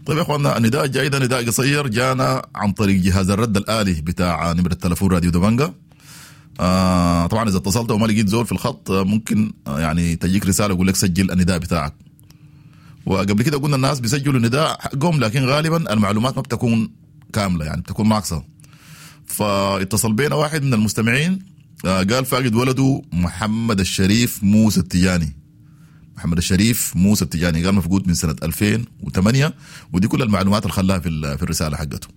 طيب يا اخواننا، النداء الجاي ده نداء قصير جانا عن طريق جهاز الرد الآلي بتاع نمرة التلفون راديو دبنجا. طبعا اذا اتصلت وما لقيت زول في الخط ممكن يعني تجيك رسالة يقول لك سجل النداء بتاعك. وقبل كده قلنا الناس بيسجلوا النداء حقهم، لكن غالبا المعلومات ما بتكون كاملة، يعني بتكون ناقصة. فاتصل بينا واحد من المستمعين قال فاقد ولده محمد الشريف موسى التجاني. محمد الشريف موسى التجاني قال مفقود من سنة 2008، ودي كل المعلومات اللي خلاها في الرسالة حقته.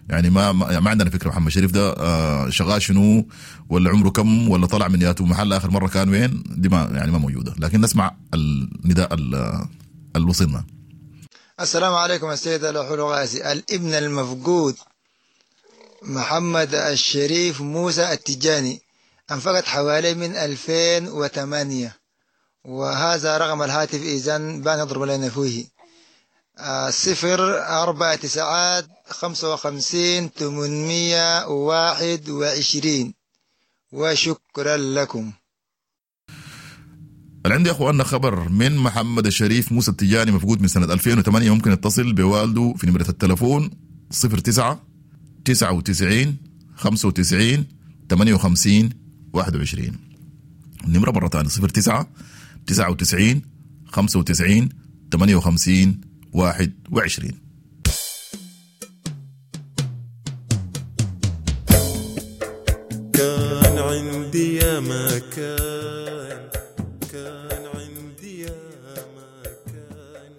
يعني ما عندنا فكرة محمد الشريف ده شغال شنو، ولا عمره كم، ولا طلع من ياتو محل آخر مرة كان وين، دي ما يعني ما موجودة. لكن نسمع النداء اللي وصلنا. السلام عليكم السيد الحلو غازي. الابن المفقود محمد الشريف موسى التجاني انفقد حوالي من 2008، وهذا رقم الهاتف إذن بان يضرب لنا فيه 0 4 9 55 821. وشكرا لكم. اللي عندي يا اخواننا خبر من محمد الشريف موسى التجاني مفقود من سنة 2008 ممكن يتصل بوالده في نمرة التلفون 09 99 95 58 21. النمرة مرة ثانية 09 99 95 58 21. كان عندي يا ما كان، كان عندي يا ما كان.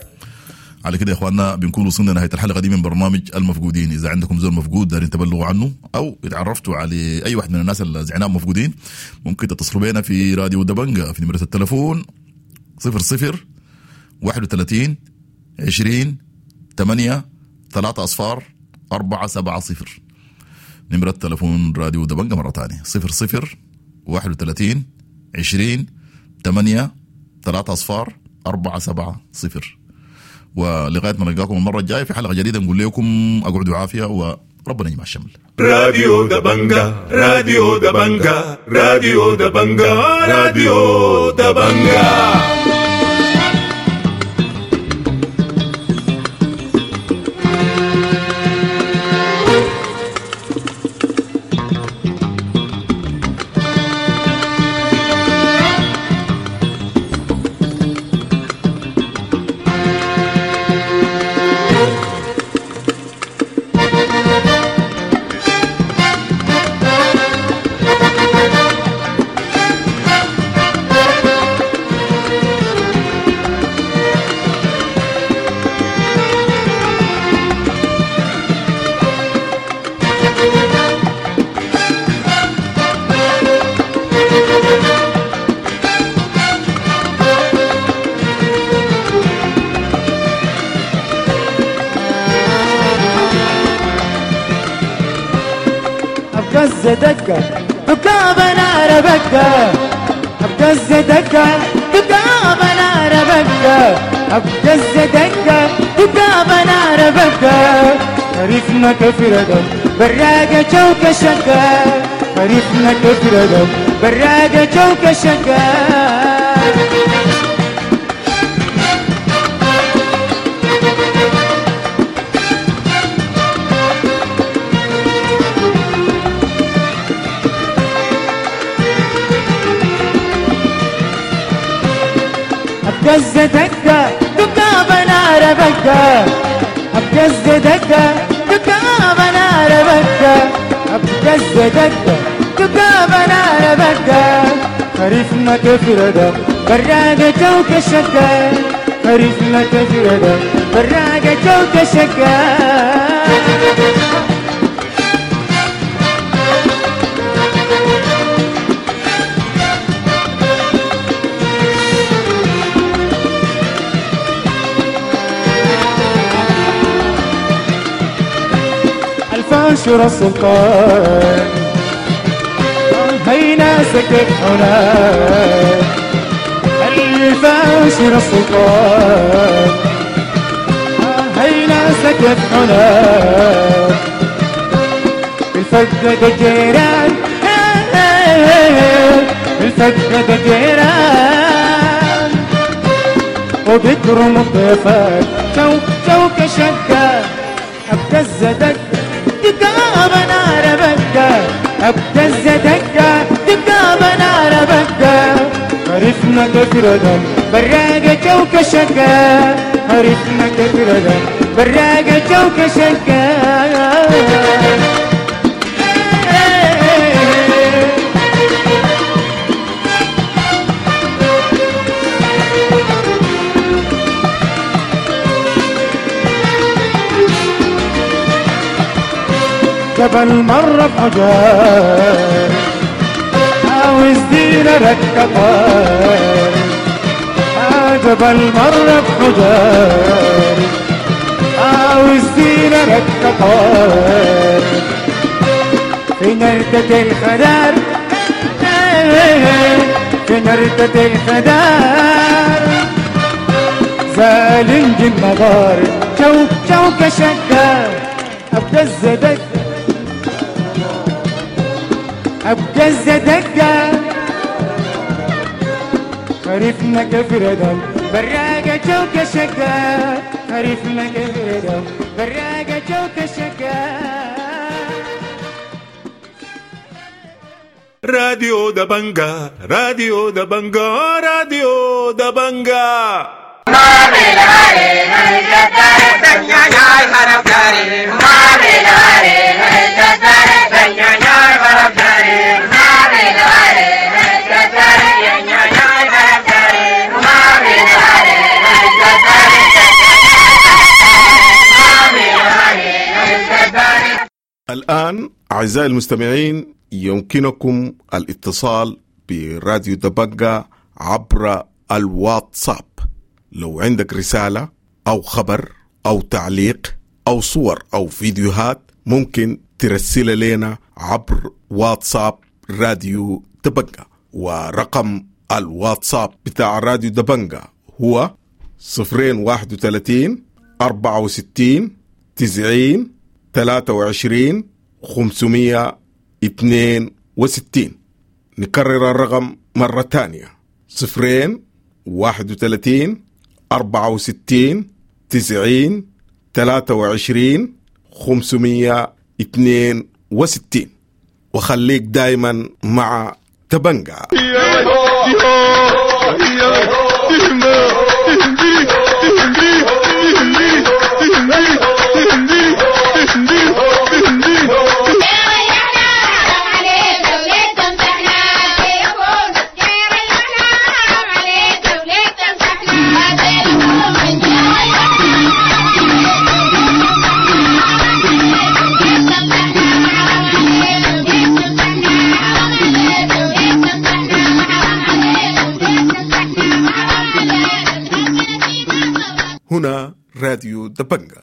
على كده يا اخواننا بنكون وصلنا نهاية الحلقة دي من برنامج المفقودين. اذا عندكم زول مفقود دارين تبلغوا عنه او اتعرفتوا على اي واحد من الناس اللي زعناهم مفقودين، ممكن تتصلوا بينا في راديو دبنجا في نمره التلفون 00 31 20 8 3 0 4 7 0. نمرة تلفون راديو دبنجا مرة ثانية 00 31 20 8 3 0 4 7 0. ولغاية ما نلقاكم المرة الجاية في حلقة جديدة نقول لكم اقعدوا عافية وربنا يجمع الشمل. راديو دبنجا، راديو دبنجا، راديو دبنجا، راديو دبنجا. دكة دكابة نار بكة أبكز دكة دكابة نار بكة أبكز دكة دكابة نار بكة عرفنا كفردة براقة شوكة شقة، خريفنا كفردم براقة شوكة شقة. أبجز دكة دكة بنار بكة، أبجز دكة دكة بنار بكة، أبجز دكة دكة بنار بكة، خريفنا كفردة براقة شوكة شكة، خريفنا كفردة براقة شوكة شكة. الفاشر السلطان هينا سكت هناك، الفاشر السلطان هينا سكت هناك، الفقد الجيران الفقد الجيران، وبكرم الضيفان شوك شوك شقة، أبتز دكة دكة بنار بكة، أبتز دكة دكة بنار بكة، خريفنا كفردم براقة شوكة شقة، خريفنا كفردم براقة شوكة شقة. جبل مرة بحجار عاوز دينا ركبار، جبل مرة بحجار عاوز دينا ركبار، في نردة الخدار في نردة الخدار، زالنج النظار شوك شوك شقة، أبجز دكة أبجز دكة، خريفنا كفردم براقة شوكة شقة، خريفنا كفردم براقة شوكة شقة. راديو دبنجا، راديو دبنجا، راديو دبنجا. الآن أعزائي المستمعين يمكنكم الاتصال براديو دبنجا عبر الواتساب. لو عندك رسالة أو خبر أو تعليق أو صور أو فيديوهات ممكن ترسل لنا عبر واتساب راديو دبنجا، ورقم الواتساب بتاع راديو دبنجا هو 031 64 90 23 562. نكرر الرقم مرة تانية: 031 64 90 23 562. وخليك دايما مع دبنجا. هنا راديو دبنجا.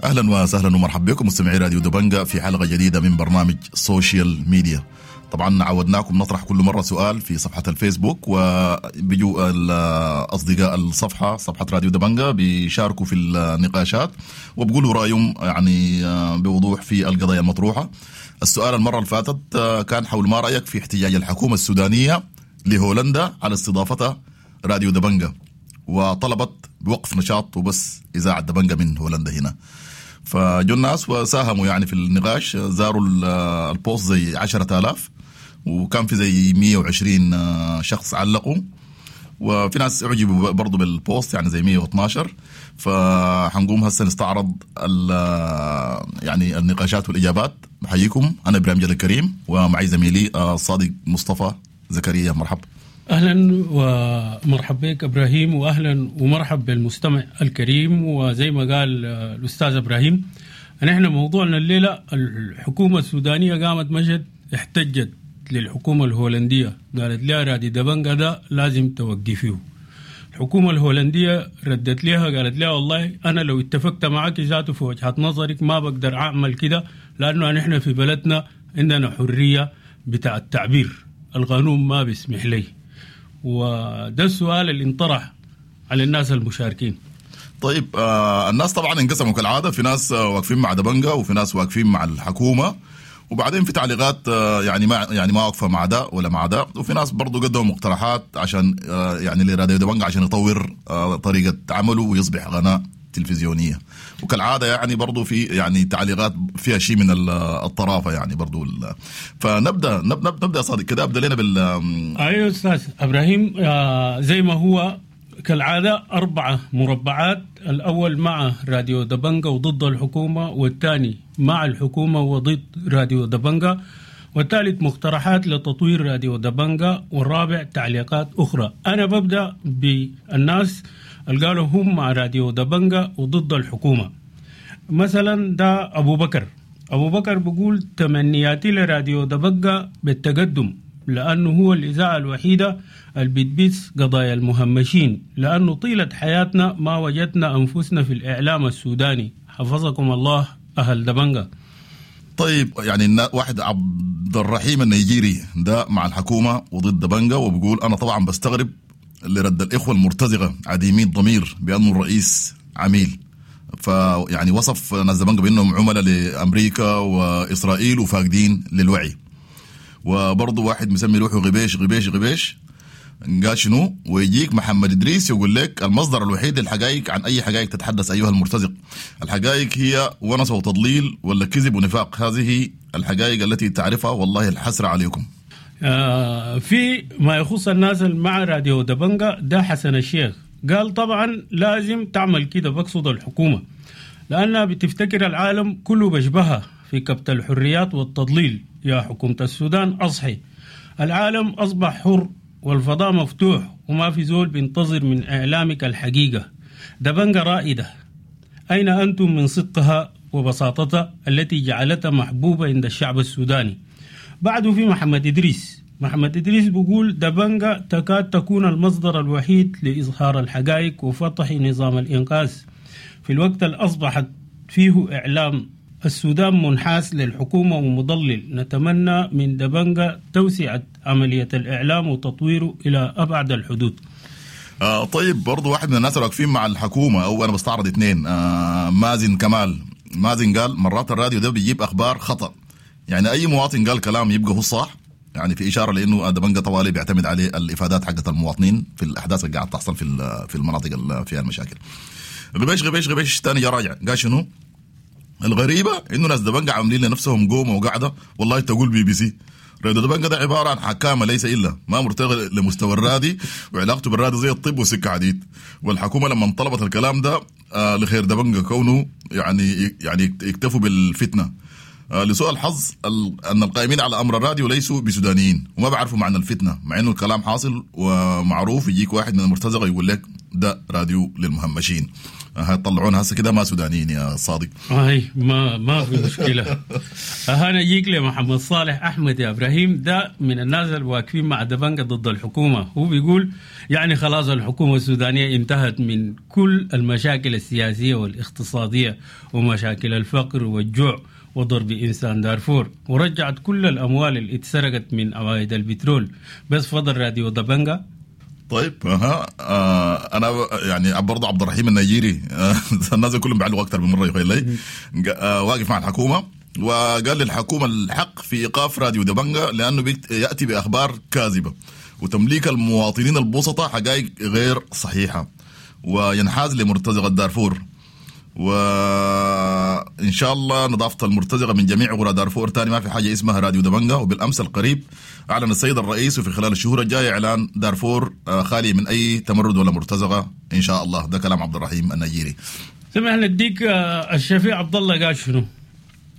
اهلا وسهلا ومرحبا بكم مستمعي راديو دبنجا في حلقة جديدة من برنامج social media. طبعا عودناكم نطرح كل مرة سؤال في صفحة الفيسبوك، وبيجوا اصدقاء الصفحة، صفحة راديو دبنجا، بيشاركوا في النقاشات وبقولوا رايهم يعني بوضوح في القضايا المطروحة. السؤال المرة اللي فاتت كان حول ما رايك في احتجاج الحكومة السودانية لهولندا على استضافتها راديو دبنجا، وطلبت بوقف نشاط وبس اذاعة دبنجا من هولندا هنا. فجو الناس وساهموا يعني في النقاش، زاروا ال post زي 10,000، وكان في زي 120 شخص علقوا، وفي ناس اعجبوا برضو بال post يعني زي 112. فحنقوم هسه نستعرض يعني النقاشات والاجابات. بحييكم، انا ابراهيم جل الكريم ومعي زميلي الصادق مصطفى زكريا. مرحبا. اهلا ومرحبا بك ابراهيم، واهلا ومرحب بالمستمع الكريم. وزي ما قال الاستاذ ابراهيم، نحن موضوعنا الليلة الحكومة السودانية قامت مشت احتجت للحكومة الهولندية، قالت لها رادي دبنجا ده لازم توقفيه. الحكومة الهولندية ردت لها قالت لها والله انا لو اتفقت معك ذاته في وجهه نظرك ما بقدر اعمل كده، لانه نحن في بلدنا عندنا حرية بتاع التعبير، القانون ما بيسمح لي. وده السؤال اللي انطرح على الناس المشاركين. طيب الناس طبعا انقسموا كالعادة، في ناس واقفين مع دبنجا وفي ناس واقفين مع الحكومة، وبعدين في تعليقات يعني ما واقفة مع ده ولا مع ده، وفي ناس برضو قدموا مقترحات عشان يعني لراديو دبنجا عشان يطور طريقه عمله ويصبح قناة تلفزيونية. وكالعادة يعني برضو في يعني تعليقات فيها شيء من الطرافه يعني برضو. فنبدا نبدا صادق كده، ابدا لنا بال ايوه استاذ ابراهيم. زي ما هو كالعادة 4 مربعات، الاول مع راديو دبنجا وضد الحكومة، والثاني مع الحكومة وضد راديو دبنجا، والثالث مقترحات لتطوير راديو دبنجا، والرابع تعليقات اخرى. انا ببدا بالناس اللي قالوا هم مع راديو دبنجا وضد الحكومة. مثلا ده أبو بكر. أبو بكر بيقول تمنياتي لراديو دبنجا بالتقدم، لأنه هو الإذاعة الوحيدة اللي بتبث قضايا المهمشين، لأنه طيلة حياتنا ما وجدنا أنفسنا في الإعلام السوداني. حفظكم الله أهل دبنجا. طيب يعني واحد عبد الرحيم النيجيري ده مع الحكومة وضد دبنجا، وبيقول أنا طبعا بستغرب لرد الإخوة المرتزقة عديمي الضمير بأنه الرئيس عميل. فيعني وصف ناس دبنجا بأنهم عملاء لأمريكا وإسرائيل وفاقدين للوعي. وبرضه واحد مسمي روحه غبيش غبيش غبيش قال شنو، ويجيك محمد إدريس يقول لك المصدر الوحيد للحقائق عن أي حقائق تتحدث أيها المرتزق، الحقائق هي ونس وتضليل ولا كذب ونفاق، هذه الحقائق التي تعرفها والله الحسرة عليكم. في ما يخص الناس مع راديو دبنجا ده حسن الشيخ قال طبعا لازم تعمل كده، بقصد الحكومة، لأنها بتفتكر العالم كله بشبهها في كبت الحريات والتضليل. يا حكومة السودان أصحي، العالم أصبح حر والفضاء مفتوح وما في زول بينتظر من إعلامك الحقيقة. دبنجا رائدة، أين أنتم من صدقها وبساطتها التي جعلتها محبوبة عند الشعب السوداني؟ بعده في محمد إدريس. محمد إدريس بيقول دبنجا تكاد تكون المصدر الوحيد لإظهار الحقائق وفتح نظام الإنقاذ في الوقت اللي أصبحت فيه إعلام السودان منحاز للحكومة ومضلل. نتمنى من دبنجا توسعة عملية الإعلام وتطويره إلى أبعد الحدود. طيب برضو واحد من الناس اللي واقفين مع الحكومة، أو أنا بستعرض 2، مازن كمال. مازن قال مرات الراديو ده بيجيب أخبار خطأ، يعني أي مواطن قال كلام يبقى هو صح، يعني في إشارة لأنه دبنجا طوالي بيعتمد عليه الإفادات حقت المواطنين في الأحداث اللي قاعد تحصل في المناطق اللي فيها المشاكل. غبيش غبيش غبيش تاني جا راجع قال شنو؟ الغريبة إنه ناس دبنجا عاملين لنفسهم قومة وقعدة، والله تقول بي بي سي. راديو دبنجا ده عبارة عن حكامة ليس إلا، ما مرتقي لمستوى الرادي، وعلاقته بالرادي زي الطب وسكة حديد. والحكومة لما طلبت الكلام ده لخير دبنجا كونه يعني يكتفوا بالفتنة. لسوء الحظ أن القائمين على أمر الراديو ليسوا بسودانيين وما بعرفوا معنى الفتنة، مع إنه الكلام حاصل ومعروف. يجيك واحد من المرتزقة يقول لك ده راديو للمهمشين. هيطلعونا هسه كده ما سودانيين يا صادق. هاي ما في مشكلة. انا جيك لمحمد صالح احمد يا ابراهيم، ده من الناس اللي واقفين مع دبنجة ضد الحكومة. هو بيقول يعني خلاص الحكومة السودانية انتهت من كل المشاكل السياسية والاقتصادية ومشاكل الفقر والجوع وضرب انسان دارفور، ورجعت كل الاموال اللي اتسرقت من عوائد البترول، بس فضل راديو دبنجة. طيب اها انا يعني برضه عبد الرحيم النيجيري، الناس كلهم بيعلقوا اكثر من مرة يخيل لي، واقف مع الحكومة وقال للحكومة الحق في ايقاف راديو دبنجة لانه ياتي باخبار كاذبة وتمليك المواطنين البسطاء حقائق غير صحيحه وينحاز لمرتزقه دارفور، وان شاء الله نظافة المرتزقة من جميع قرى دارفور، تاني ما في حاجة اسمها راديو دبنجة. وبالامس القريب اعلن السيد الرئيس وفي خلال الشهور الجاية اعلان دارفور خالي من اي تمرد ولا مرتزقة ان شاء الله. ده كلام عبد الرحيم النيجيري. سمح نديك الشفيع عبد الله قال شنو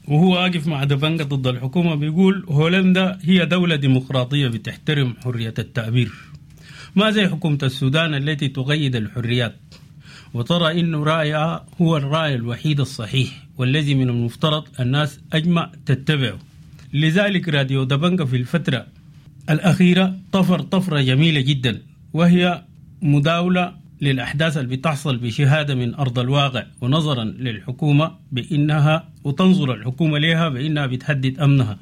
وهو واقف مع دبنجة ضد الحكومة. بيقول هولندا هي دولة ديمقراطية بتحترم حرية التعبير، ما زي حكومة السودان التي تقيد الحريات وترى إنه رأيها هو الرأي الوحيد الصحيح والذي من المفترض الناس أجمع تتبعه. لذلك راديو دبنجة في الفترة الأخيرة طفر طفرة جميلة جدا، وهي مداولة للأحداث اللي بتحصل بشهادة من أرض الواقع، ونظرا للحكومة بإنها وتنظر الحكومة لها بإنها بتهدد أمنها،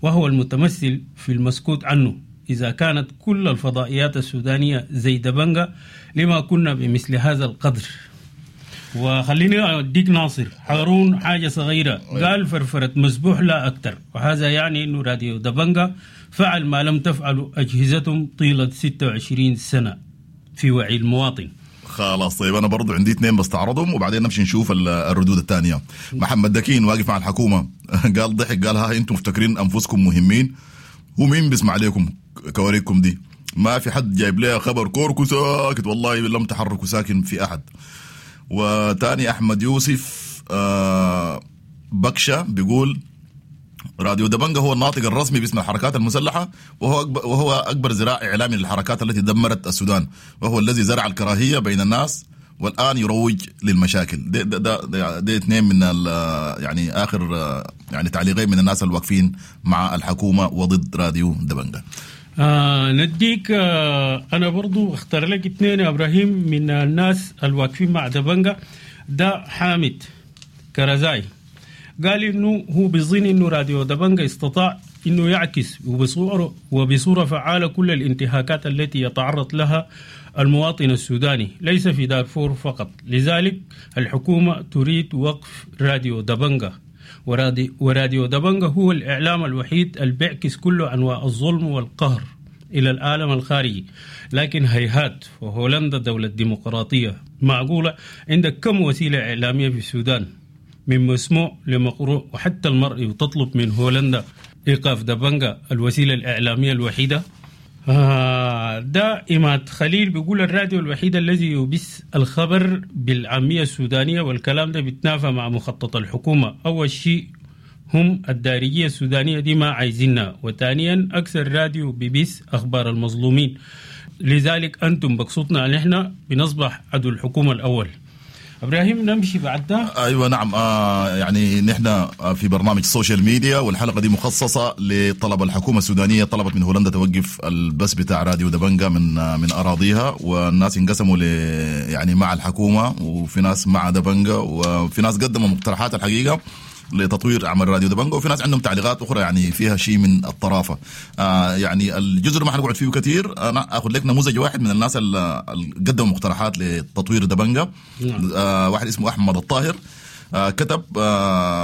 وهو المتمثل في المسكوت عنه. إذا كانت كل الفضائيات السودانية زي دبنجة لما كنا بمثل هذا القدر. وخليني أديك ناصر هارون حاجة صغيرة، قال فرفرة مسبوح لا أكثر، وهذا يعني أنه راديو دبنجة فعل ما لم تفعله أجهزتهم طيلة 26 سنة في وعي المواطن. خلاص طيب أنا برضو عندي اثنين بستعرضهم وبعدين نمشي نشوف الردود الثانية. محمد دكين واقف مع الحكومة قال ضحك قال ها أنتم مفتكرين أنفسكم مهمين، هو مين بيسمع عليكم كواريكم دي؟ ما في حد جايب لها خبر، كوركو ساكت والله لم تحركوا ساكن في أحد. وتاني أحمد يوسف بكشة بيقول راديو دبنجة هو الناطق الرسمي باسم الحركات المسلحة، وهو أكبر ذراع إعلامي للحركات التي دمرت السودان، وهو الذي زرع الكراهية بين الناس والآن يروج للمشاكل. ده ده ده, ده اثنين من يعني آخر يعني تعليقين من الناس الواقفين مع الحكومة وضد راديو دبنجة. نديك أنا برضو اختار لك اثنين يا إبراهيم من الناس الواقفين مع دبنجة. ده حامد كرزاي قال إنه هو بيظن إنه راديو دبنجة استطاع إنه يعكس وبصورة فعالة كل الانتهاكات التي يتعرض لها المواطن السوداني ليس في دارفور فقط، لذلك الحكومة تريد وقف راديو دبنجة، وراديو دبنجة هو الإعلام الوحيد اللي بيعكس كل أنواع الظلم والقهر إلى العالم الخارجي. لكن هيهات، وهولندا دولة ديمقراطية، معقولة عندك كم وسيلة إعلامية في السودان من مسموع لمقروء وحتى المرئي، وتطلب من هولندا إيقاف دبنجة الوسيلة الإعلامية الوحيدة؟ ده إماد خليل بيقول الراديو الوحيد الذي يبث الخبر بالعامية السودانية، والكلام ده بيتنافى مع مخطط الحكومة. أول شيء هم الدارجية السودانية دي ما عايزينها، وثانيا أكثر راديو بيبث أخبار المظلومين، لذلك أنتم بقصتنا نحن بنصبح عدو الحكومة الأول. ابراهيم نمشي بعد ده. ايوه نعم، يعني نحن في برنامج ال social media، والحلقة دي مخصصة لطلب الحكومة السودانية، طلبت من هولندا توقف البث بتاع راديو دبنجة من اراضيها، والناس انقسموا ل يعني مع الحكومة، وفي ناس مع دبنجة، وفي ناس قدموا مقترحات الحقيقة لتطوير عمل راديو دبنجة، وفي ناس عندهم تعليقات اخرى يعني فيها شيء من الطرافه. يعني الجزء ما حنقعد فيه كثير، انا اخذ لك نموذج واحد من الناس اللي قدموا مقترحات لتطوير دبنجة. واحد اسمه احمد الطاهر، كتب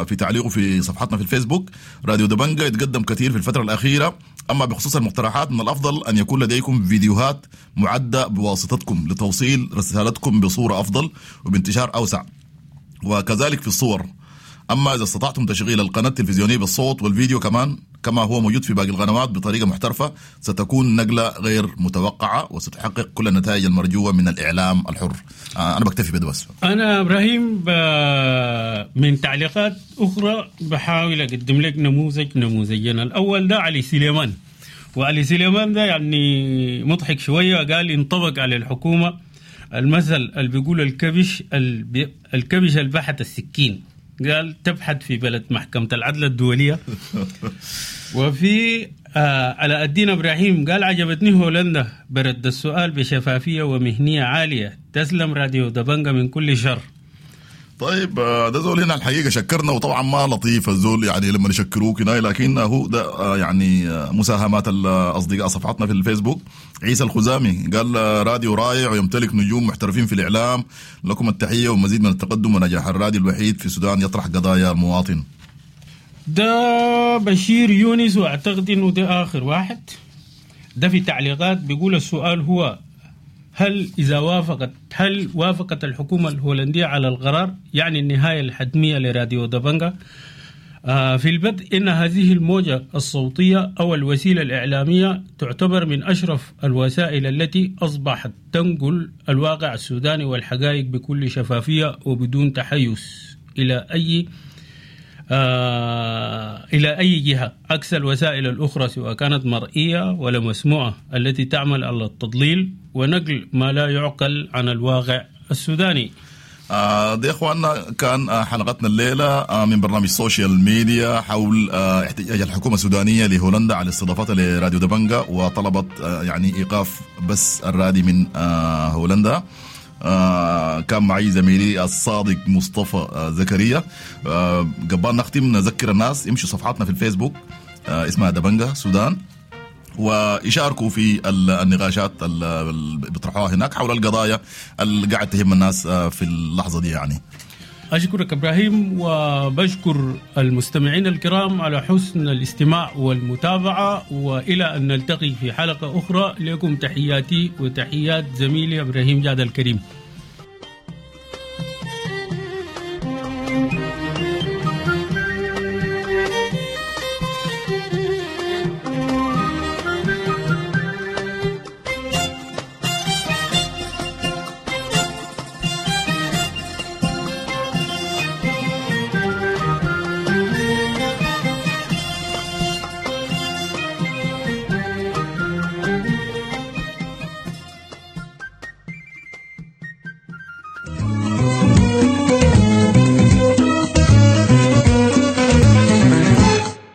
في تعليقه في صفحتنا في الفيسبوك: راديو دبنجة يتقدم كثير في الفترة الأخيرة، أما بخصوص المقترحات من الأفضل أن يكون لديكم فيديوهات معدة بواسطتكم لتوصيل رسالتكم بصورة أفضل وبانتشار أوسع، وكذلك في الصور. أما إذا استطعتم تشغيل القناة التلفزيونية بالصوت والفيديو كمان كما هو موجود في باقي القنوات بطريقة محترفة، ستكون نقلة غير متوقعة وستحقق كل النتائج المرجوة من الإعلام الحر. أنا بكتفي بده بس. أنا إبراهيم من تعليقات أخرى بحاول أقدم لك نموذجين. الأول ده علي سليمان، وعلي سليمان ده يعني مضحك شوية، قال انطبق على الحكومة المثل اللي بيقول الكبش البحت السكين. قال تبحث في بلد محكمة العدل الدولية. وفي علاء الدين إبراهيم قال عجبتني هولندا برد السؤال بشفافية ومهنية عالية، تسلم راديو دبنجة من كل شر. طيب ده زول هنا الحقيقة شكرنا، وطبعا ما لطيف الزول يعني لما يشكروك هنا، لكن هو ده يعني مساهمات الأصدقاء صفحتنا في الفيسبوك. عيسى الخزامي قال راديو رائع ويمتلك نجوم محترفين في الإعلام، لكم التحية ومزيد من التقدم ونجاح. الراديو الوحيد في السودان يطرح قضايا المواطن. ده بشير يونس، واعتقد انه ده اخر واحد. ده في تعليقات بيقول السؤال هو هل إذا وافقت هل وافقت الحكومة الهولندية على القرار يعني النهاية الحتمية لراديو دبنجة؟ في البدء إن هذه الموجة الصوتية أو الوسيلة الإعلامية تعتبر من أشرف الوسائل التي أصبحت تنقل الواقع السوداني والحقائق بكل شفافية وبدون تحيز إلى أي جهة، عكس الوسائل الأخرى سواء كانت مرئية ولا مسموعة التي تعمل على التضليل ونقل ما لا يعقل عن الواقع السوداني. دي إخواننا كان حلقتنا الليلة من برنامج social media حول احتجاج الحكومة السودانية لهولندا على استضافتها لراديو دبنجة وطلبت يعني إيقاف بس الرادي من هولندا. كان معي زميلي الصادق مصطفى زكريا. قبل نختم نذكر الناس يمشوا صفحاتنا في الفيسبوك اسمها دبنجة سودان، ويشاركوا في النقاشات اللي بيطرحوها هناك حول القضايا اللي قاعد تهم الناس في اللحظة دي. يعني أشكرك إبراهيم، وبشكر المستمعين الكرام على حسن الاستماع والمتابعة، وإلى أن نلتقي في حلقة أخرى لكم تحياتي وتحيات زميلي إبراهيم جاد الكريم.